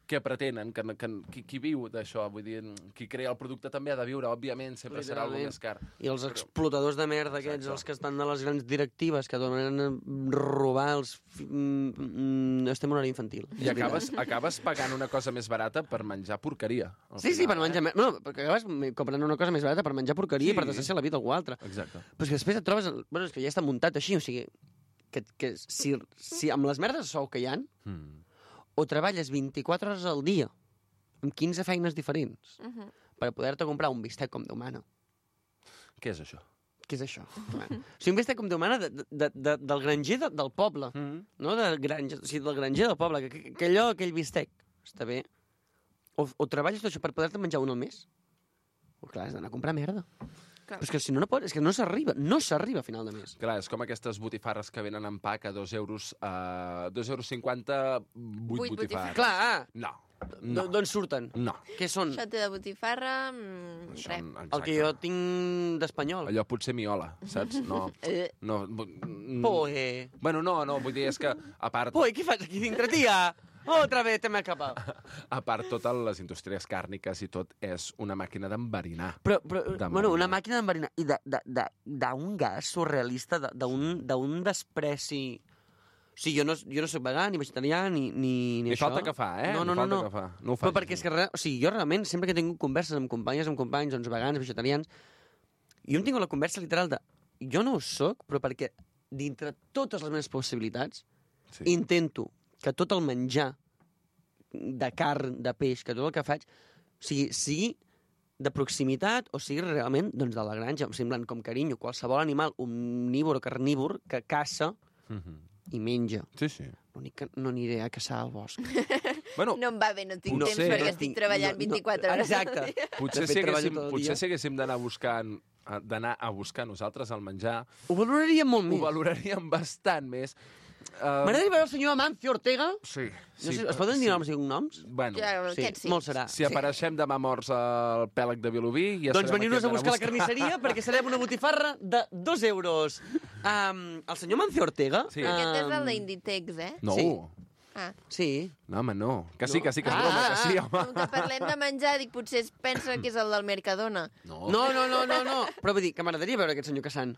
què pretenen? Qui viu d'això? Vull dir, qui crea el producte també ha de viure, òbviament, sempre serà alguna més car. I els explotadors de merda aquests, els que estan de les grans directives, que donen a robar els... Estem en horari infantil. I acabes pagant una cosa més barata per menjar porqueria. Sí, per menjar... No, perquè acabes comprant una cosa més barata per menjar porqueria i per desgraciar la vida a algú altre. Exacte. Però és que després et trobes... Bueno, és que ja està muntat així, o sigui... Que si amb les merdes de sou que hi ha, o treballes 24 hores al dia, amb 15 feines diferents, per poder-te comprar un bistec com Déu mana. Què és això? Què és això? O sigui, un bistec com Déu mana del granger del poble, no? Del granger del poble, que aquell bistec està bé. O treballes tot això per poder-te menjar un al mes, o clar, has d'anar a comprar merda. Però és que si no pots, és que no s'arriba a final de mes. Clar, és com aquestes botifarres que venen en pack a 2 euros, 2,50 €, 8 botifarres. Clar! No. D'on surten? No. Què són? Xote de botifarra, res. El que jo tinc d'espanyol. Allò potser miola, saps? No. Poe. Bueno, no, vull dir, és que a part... Poe, què fas aquí dintre, tia? Otra vez te m'he escapat. A part, totes les indústries càrniques i tot és una màquina d'enverinar. Però bueno, una màquina d'enverinar i d'un gas surrealista, d'un despreci... O sigui, jo no soc vegà, ni vegetarià, ni Li això. falta que fa, eh? No. Que fa. No ho facis. Però perquè és que, o sigui, jo realment, sempre que he tingut converses amb companyes, amb companys, doncs vegans, vegetarians, jo em tinc la conversa literal de... Jo no ho soc, però perquè dintre totes les meves possibilitats intento que tot el menjar de carn, de peix, que tot el que faig, sigui de proximitat o sigui realment doncs, de la granja, em semblen com carinyo, qualsevol animal omnívor o carnívor que caça i menja. Sí. L'únic que no aniré a caçar al bosc. Bueno, no em va bé, no tinc temps perquè estic treballant 24 hores. Exacte. Potser si haguéssim d'anar a buscar nosaltres el menjar... Ho valoraríem molt més. Ho valoraríem bastant més. M'agradaria veure el senyor Amancio Ortega. Sí. No sé, es poden dir noms i cognoms? Bueno, molt serà. Si apareixem demà morts al pèlag de Vilobí... Ja doncs veniu-nos a buscar la carnisseria perquè serem una botifarra de 2 euros. El senyor Amancio Ortega... Sí. Aquest és el d'Inditex, eh? No. Sí. Sí. No, home, no. Que sí, que és broma, que sí, home. Com que parlem de menjar, dic, potser es pensa que és el del Mercadona. No. Però vull dir que m'agradaria veure aquest senyor caçant.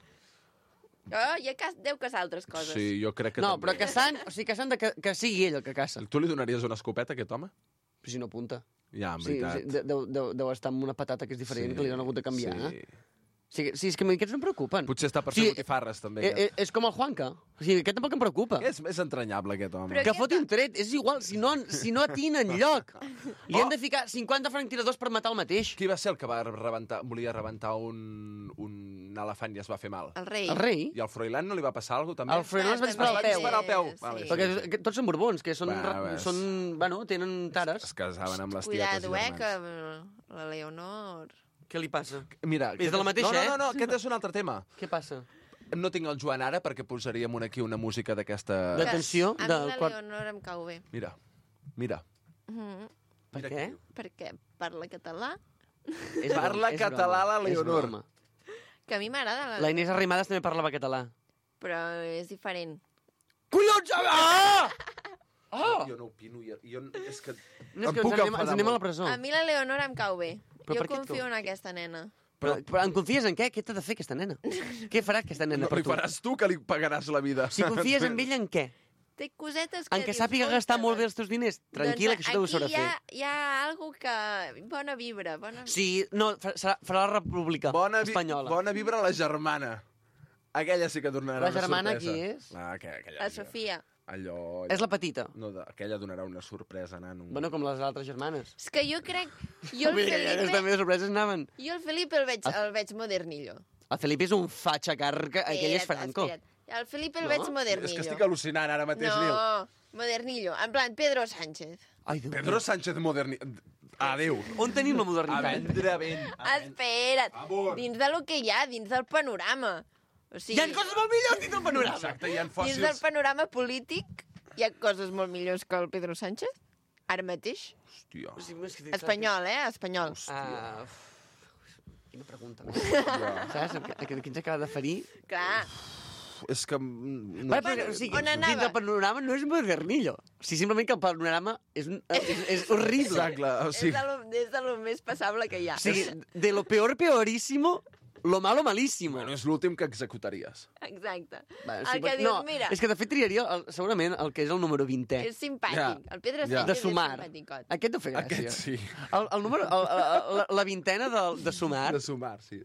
Deu caçar altres coses. Sí, jo crec que no, també. Però caçant, o sigui, caçant que sigui ell el que caça. Tu li donaries una escopeta a aquest home? Però si no apunta. Ja, en veritat. Sí, deu estar amb una patata que és diferent, que li han hagut de canviar. Sí, és que aquests no em preocupen. Potser està per fer botifarres, també. És com el Juanca. O sigui, aquest tampoc em preocupa. És entranyable, aquest home. Que foti un tret, és igual, si no atina enlloc. Li han de ficar 50 franctiradors per matar el mateix. Qui va ser el que volia rebentar un elefant i es va fer mal? El rei. El rei? I al Froilán no li va passar alguna cosa, també? Al Froilán es va disparar al peu. Vale, perquè tots són borbons, que tenen tares. Es casaven amb les tietes i germans. Que la Leonor... Què li passa? Mira, és de la mateixa, No, aquest és un altre tema. Què passa? No tinc el Joan ara perquè posaríem aquí una música d'aquesta... D'atenció? A mi la Leonor em cau bé. Mira. Per què? Perquè parla català. Parla català la Leonor. Que a mi m'agrada. La Inés Arrimadas també parlava català. Però és diferent. Collons! Jo no opino. És que... Ens anem a la presó. A mi la Leonor em cau bé. Però jo confio en aquesta nena. Però en confies en què? Què t'ha de fer aquesta nena? Què farà aquesta nena per tu? No li faràs tu, que li pagaràs la vida. Si confies en ella, en què? Té cosetes que... En què sàpiga gastar molt bé els teus diners. Tranquil·la, que això ho sabrà fer. Hi ha algo que... Bona vibra. Sí, no, farà la República Espanyola. Bona vibra la germana. Aquella sí que donarà una sorpresa. La germana qui és? La Sofia. Allò... És la petita. No, aquella donarà una sorpresa, nano. Bueno, com les altres germanes. És que jo crec... Jo el Felipe... també de sorpreses anaven. Jo el Felipe el veig modernillo. El Felipe és un fatxa carca, aquell és Franco. El Felipe el veig modernillo. És que estic al·lucinant ara mateix, Nil. No, modernillo. En plan, Pedro Sánchez. Pedro Sánchez modernillo. Adéu. On tenim la modernitat? A vendre vent. Espera't. Dins de lo que hi ha, dins del panorama. O sigui, hi ha coses molt millors dins del panorama. Exacte, hi ha fòssils. Dins del panorama polític hi ha coses molt millors que el Pedro Sánchez? Ara mateix? Hòstia. Espanyol, espanyol. Quina pregunta. Saps? Aquest que ens acaba de ferir. Clar. És que... No. O sigui, on anava? dins del panorama no és modernillo. O sigui, simplement que el panorama és horrible. Exacte, o sigui... És de lo més passable que hi ha. O sigui, de lo peor peorísimo, lo malo malísimo. Bueno, és l'últim que executaries. Exacte. El que dius, mira... És que de fet triaria segurament el que és el número 20è. És simpàtic. El Pedro sí que De és sumar. simpaticot. Aquest no fa gràcia. Aquest sí. El número, la vintena de sumar. De sumar, sí.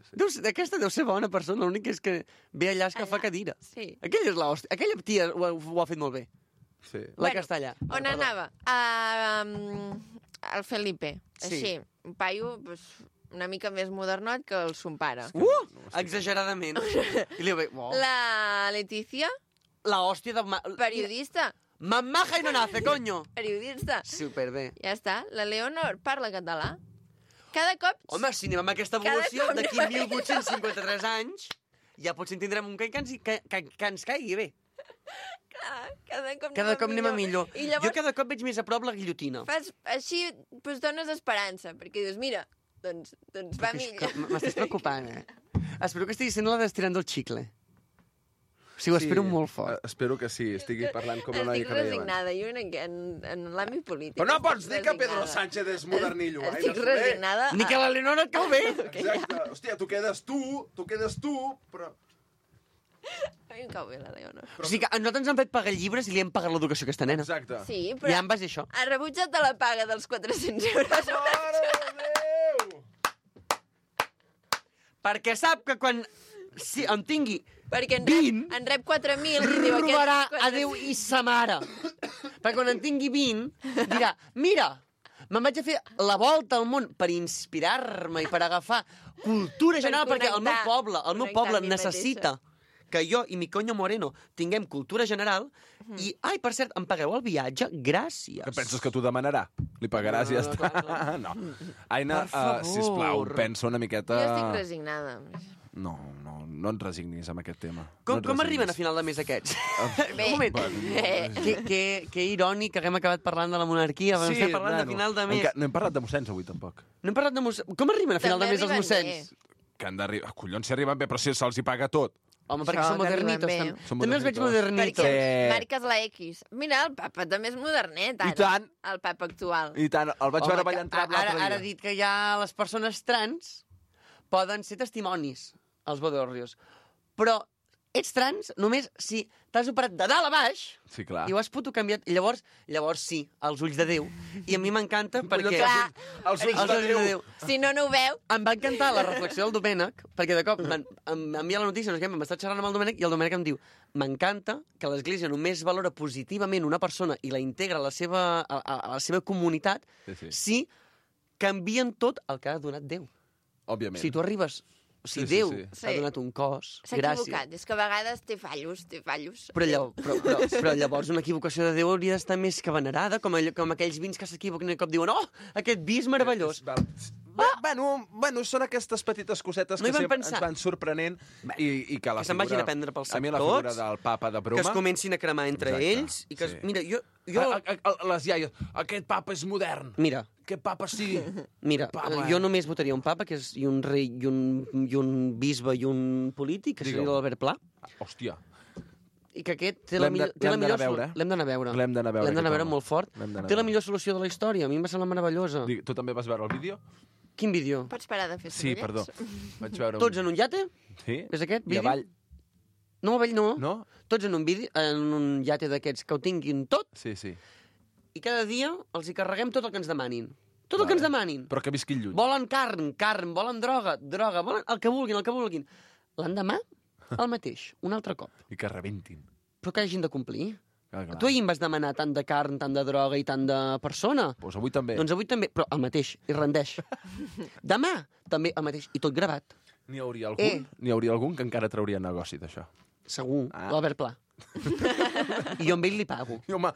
Aquesta deu ser bona persona, l'únic és que ve allà que fa cadira. Sí. Aquella és l'hòstia. Aquella tia ho ha fet molt bé. Sí. La castellà. On anava? El Felipe. Sí. Així, un paio una mica més modernot que el son pare. Exageradament. I li ve... La Letícia. La hòstia de... Periodista. Mamaja i no nace, coño. Periodista. Superbé. Ja està. La Leonor parla català. Cada cop... Home, si anem amb aquesta evolució, d'aquí 1853 anys, ja potser tindrem un que ens caigui bé. Cada cop anem a millor. I llavors, jo cada cop veig més a prop la guillotina. Així dones esperança, perquè dius, mira, doncs va millor. M'estàs preocupant, Espero que estigui sent la d'estirant del xicle. O sigui, ho espero molt fort. Espero que sí, estigui parlant com una Estic resignada, jo en l'àmbit polític. Però no pots dir que Pedro Sánchez és modernillo. Estic resignada. Ni que la Leonor et cau bé. Exacte. Hòstia, tu quedes tu, però... A mi em cau bé la Leonor. O sigui que a nosaltres ens han fet pagar llibres i li hem pagat l'educació a aquesta nena. Exacte. Sí, però... Ja en base a això. Ha rebutjat de la paga dels 400 euros. Mare de Déu! Perquè sap que quan en tingui perquè en rep 4.000 i diu robarà a Déu i sa mare. Perquè quan en tingui 20 dirà, mira, me'n vaig a fer la volta al món per inspirar-me i per agafar cultura general, perquè el meu poble necessita que jo i mi coño Moreno tinguem cultura general i, ai, per cert, em pagueu el viatge? Gràcies. Que penses que t'ho demanarà? Li pagaràs i ja està. No. Aina, sisplau, pensa una miqueta... Jo estic resignada. No et resignis amb aquest tema. Com arriben a final de mes aquests? Bé. Un moment. Que irònic que haguem acabat parlant de la monarquia. Estem parlant de final de mes. No hem parlat de mossens avui, tampoc. No hem parlat de mossens. Com arriben a final de mes els mossens? Que han d'arribar... Collons, si arriben bé, però si se'ls hi paga tot. Home, perquè són modernitos. També els veig modernitos. Perquè marques la X. Mira, el papa també és modernet, ara. I tant. El papa actual. I tant, el vaig veure ballant trap l'altre dia. Ara ha dit que ja les persones trans poden ser testimonis als bodorrios. Però ets trans només si t'has operat de dalt a baix sí, clar. I ho has canviat. I llavors sí, els ulls de Déu. I a mi m'encanta perquè... Clar, els ulls de Déu. Si no ho veu... Em va encantar la reflexió del Domènec, perquè de cop m'envia la notícia, m'està xerrant amb el Domènec, i el Domènec em diu, m'encanta que l'Església només valora positivament una persona i la integra a la seva comunitat si canvien tot el que ha donat Déu. Òbviament. Si tu arribes... Si Déu ha donat un cos, s'ha equivocat, és que a vegades té fallos. Però llavors una equivocació de Déu hauria d'estar més que venerada, com aquells vins que s'equivoquen i de cop diuen aquest vi és meravellós. Bueno, són aquestes petites cosetes que sempre ens van sorprenent i que la se'n vagin a prendre pels sectors, a mi la figura del papa de broma... Que es comencin a cremar entre ells i que... Mira, jo... Les iaies, aquest papa és modern. Mira. Aquest papa sí. Mira, jo només votaria un papa, que és un rei i un bisbe i un polític, que seria l'Albert Pla. Hòstia. I que aquest té la millor... L'hem d'anar a veure. L'hem d'anar a veure molt fort. Té la millor solució de la història. A mi em va semblar meravellosa. Tu també vas veure el vídeo? Quin vídeo? Pots parar de fer sí, perdó. Vaig veure Tots en un iate? Sí. És aquest vídeo? I avall. No, avall no. No? Tots en un iate d'aquests que ho tinguin tot. Sí. I cada dia els hi carreguem tot el que ens demanin. Tot el que ens demanin. Però que visquin lluny. Volen carn, volen droga, volen el que vulguin. L'endemà, el mateix, un altre cop. I que rebentin. Però que hagin de complir. Clar. Tu ahir em vas demanar tant de carn, tant de droga i tant de persona. Doncs avui també. Doncs avui també, però el mateix, i rendeix. Demà, també el mateix, i tot gravat. N'hi hauria algun que encara trauria negoci d'això. Segur, l'Albert Pla. I jo amb ell li pago. I home,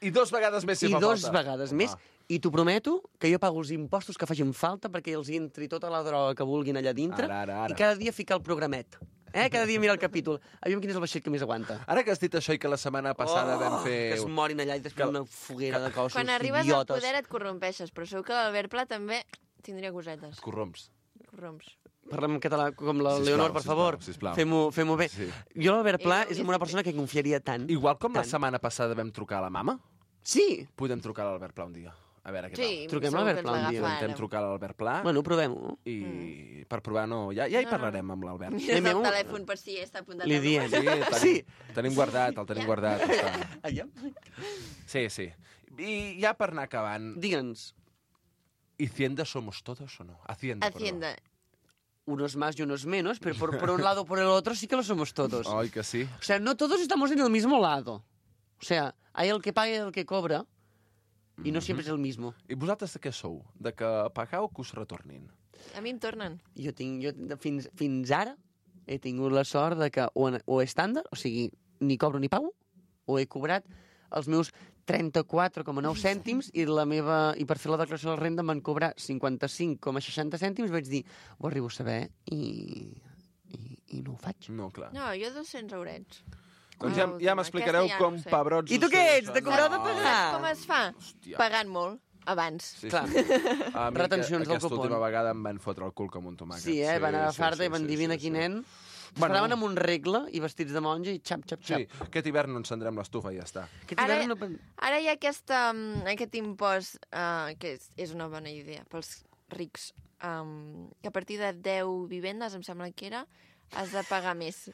i 2 vegades més si fa falta. I 2 vegades més. I t'ho prometo que jo pago els impostos que facin falta perquè els hi entri tota la droga que vulguin allà dintre ara. I cada dia ficar el programet. Cada dia mira el capítol. Aviam quin és el vaixell que més aguanta. Ara que has dit això i que la setmana passada vam fer... Que es morin allà i després una foguera de cossos Quan arribes idiotes. al poder et corrompeixes, però segur que l'Albert Pla també tindria cosetes. Corromps. Corromps. Parlem en català com la Sisplau, Leonor, per favor. sisplau. Fem-ho bé. Sí. Jo l'Albert Pla és una persona que confiaria tant. Igual com la Tant. setmana passada vam trucar a la mama, Sí. podem trucar a l'Albert Pla un dia. A veure què Sí, Truquem segur a l'Albert que ens Pla un dia. tal. l'agafarem. Intentem trucar a l'Albert Pla Bueno, provem-ho. i per provar no... Ja hi parlarem amb l'Albert. Mires el Anem-ho. telèfon per si està apuntat. Li al diem. Sí, tenim guardat, el tenim guardat. Està. Allà. Sí. I ja per anar acabant, Digue'ns, ¿Hacienda somos todos o no? Hacienda. Hacienda. unos más y unos menos, pero por un lado o por el otro sí que lo somos todos. Perdó. Ai, que sí. O sea, no todos estamos en el mismo lado. O sea, hay el que paga y el que cobra, y no siempre es el mismo. I vosaltres de què sou? De que pagueu que us retornin? A mi em tornen. Jo fins ara he tingut la sort de que o estàndard, o sigui, ni cobro ni pago, o he cobrat els meus 34,9 cèntims i per fer la declaració de la renda m'han cobrat 55,60 cèntims. Vaig dir, ho arribo a saber i no ho faig. No, clar. No, jo 200 eurets. Doncs ja m'explicareu Aquesta ja com no ho sé. pebrots... I tu us què surt ets? De això. cobrar o de No. pagar? Com es fa? Hòstia. Pagant molt, abans. Sí, Clar. A mi Retencions del aquesta cupon. última vegada em van fotre el cul com un tomàquet. Sí, van agafar-te i van dir, vine aquí, nen. Paraven amb un regle i vestits de monja i xap, xap, xap. Sí, aquest hivern no encendrem l'estufa i ja està. Aquest Ara- hivern no... Ara hi ha aquest impost, que és una bona idea pels rics, que a partir de 10 vivendes, em sembla que era, has de pagar més.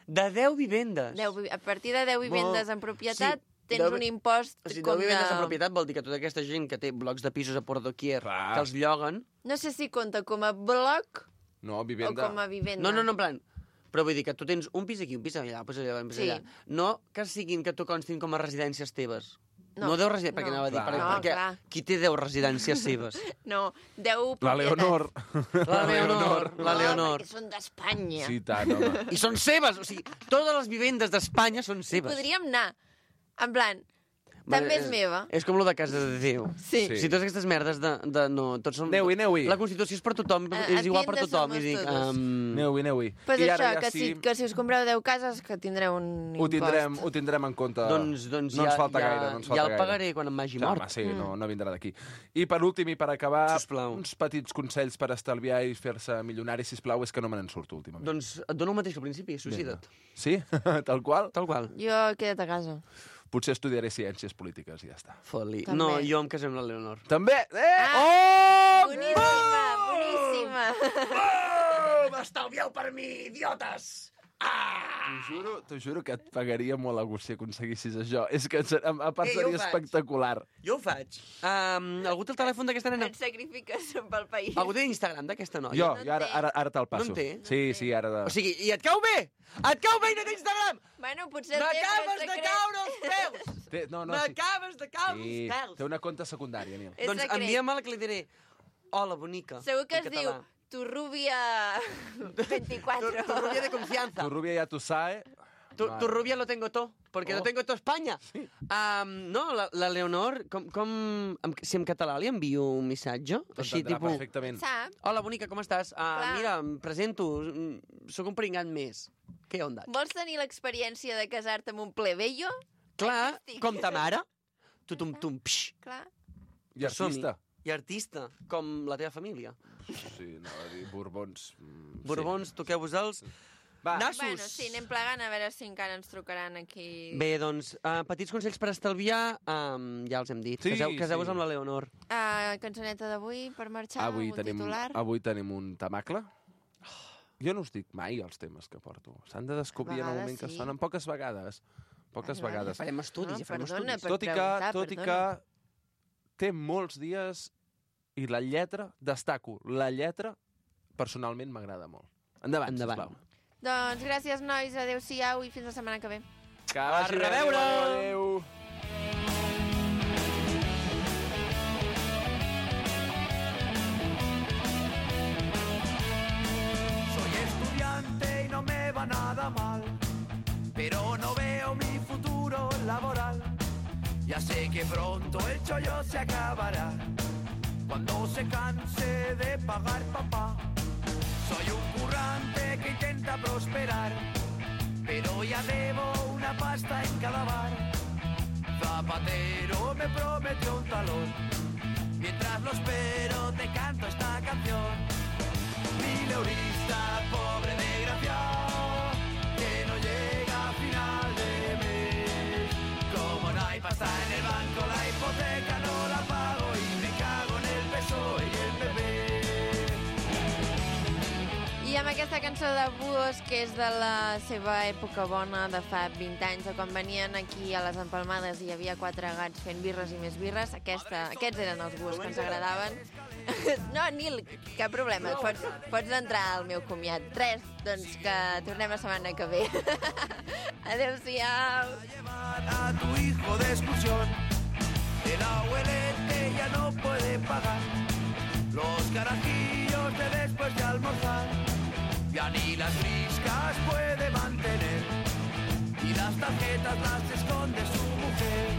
De 10 vivendes. A partir de 10 vivendes en propietat, tens 10 un impost O sigui, com 10 vivendes de... en propietat vol dir que tota aquesta gent que té blocs de pisos a Port Doquier, Clar. que els lloguen... No sé si compta com a bloc No, o vivenda... com a vivenda. No, en plan... Però vull dir que tu tens un pis aquí, un pis allà, un pis allà, un pis Sí. allà. No que siguin que tu constin com a residències teves. No. No 10 residències, perquè No. anava a dir, Clar. No, perquè clar. qui té 10 residències seves? No, 10 La propietats. Leonor. La Leonor. La No, Leonor. perquè són d'Espanya. Sí, tant, home. I són seves, o sigui, totes les vivendes d'Espanya són seves. Podríem anar, en plan, també és meva. És com lo de Casa de Déu. Sí. Sí. Si totes aquestes merdes no, tots són... Aneu-hi. La Constitució és per tothom, A- és igual per Hacienda tothom. somos I dic, todos. Aneu-hi. Pues I això, ara ja que si us compreu 10 cases, que tindreu un Ho impost. tindrem en compte. doncs no ja, ens falta ja, gaire, no ens falta ja el gaire. pagaré quan em vagi Clar, mort. home, sí, no vindrà d'aquí. I per últim, i per acabar, Sisplau. uns petits consells per estalviar i fer-se milionari, sisplau, és que no me n'en surto últimament. Doncs et dono el mateix que al principi, suïcida't. Sí? Tal qual? Tal qual. Jo queda't a casa. Potser estudiaré ciències polítiques i ja està. Foli. També. No, jo em casaré amb la Leonor. També! Ah, boníssima, boníssima. Oh, m'estalvieu per mi, idiotes! T'ho juro que et pagaria molt a gust si aconseguissis això. És que a part jo ho seria faig. espectacular. Jo ho faig. Algú té el telèfon d'aquesta nena? Et sacrifiques pel país. Algú té Instagram d'aquesta noia? Jo, No ara te'l passo. No en té? Sí, ara... O sigui, i et cau bé? Et cau bé i no té Instagram? Bueno, potser té, però M'acabes és de secret. caure els peus! No, sí. M'acabes de caure Sí, els peus! té una conta secundària, Nil. És Doncs secret. envia'm-la que li diré hola, bonica. Segur que en es diu català. Tu rubia 24. Tu rubia de confianza. Tu rubia ya tu sabe... Tu rubia lo tengo todo, porque Oh. lo tengo todo a Espanya. No, la Leonor, si en català li envio un missatge, així, T'entendrà tipus... perfectament. Sap? Hola, bonica, com estàs? Clar. Mira, em presento, sóc un pringat més. Què onda? Vols tenir l'experiència de casar-te amb un plebeio? Clar, Aquí estic. com ta mare, tutum-tum, psh, Clar. I artista. i artista, com la teva família. Sí, anava a dir Borbons. Borbons, toqueu-vos-els. Va. Nassos. Bueno, sí, anem plegant a veure si encara ens trucaran aquí. Bé, doncs, petits consells per estalviar, ja els hem dit. Sí, Caseu-vos sí. amb la Leonor. Cançoneta d'avui per marxar, Avui amb un titular. tenim un tamacle. Jo no us dic mai els temes que porto. S'han de descobrir en el moment que sí. sonen. Poques vegades. Poques vegades. Farem estudis, ja farem perdona, estudis. per Tot i que preguntar. té molts dies i la lletra, destaco, la lletra personalment m'agrada molt. Endavant, Endavant. sisplau. Doncs gràcies, nois, adeu-siau i fins la setmana que ve. Que vagi bé, reveure! adéu. Soy estudiante y no me va nada mal, pero no veo mi futuro laboral. Ya sé que pronto el chollo se acabará, cuando se canse de pagar papá. Soy un currante que intenta para prosperar, pero ya debo una pasta en cada bar. Zapatero me prometió un talón, mientras lo espero te canto esta canción. Mileurista, pobre desgraciado, que no llega a final de mes. Como no hay pasta en el banco, la hipoteca no la pago y me cago en el PSOE y el PP. I amb aquesta cançó de Buos, que és de la seva època bona, de fa 20 anys, de quan venien aquí a les empalmades i hi havia 4 gats fent birres i més birres, aquests eren els Buos que ens agradaven. No, Nil, cap problema, pots entrar al meu comiat. Res, doncs que tornem la setmana que ve. Adéu-siau. A tu hijo de excursión, el abuelete ya no puede pagar los carajillos de después de almorzar. Ya ni las briscas puede mantener y las tarjetas las esconde su mujer.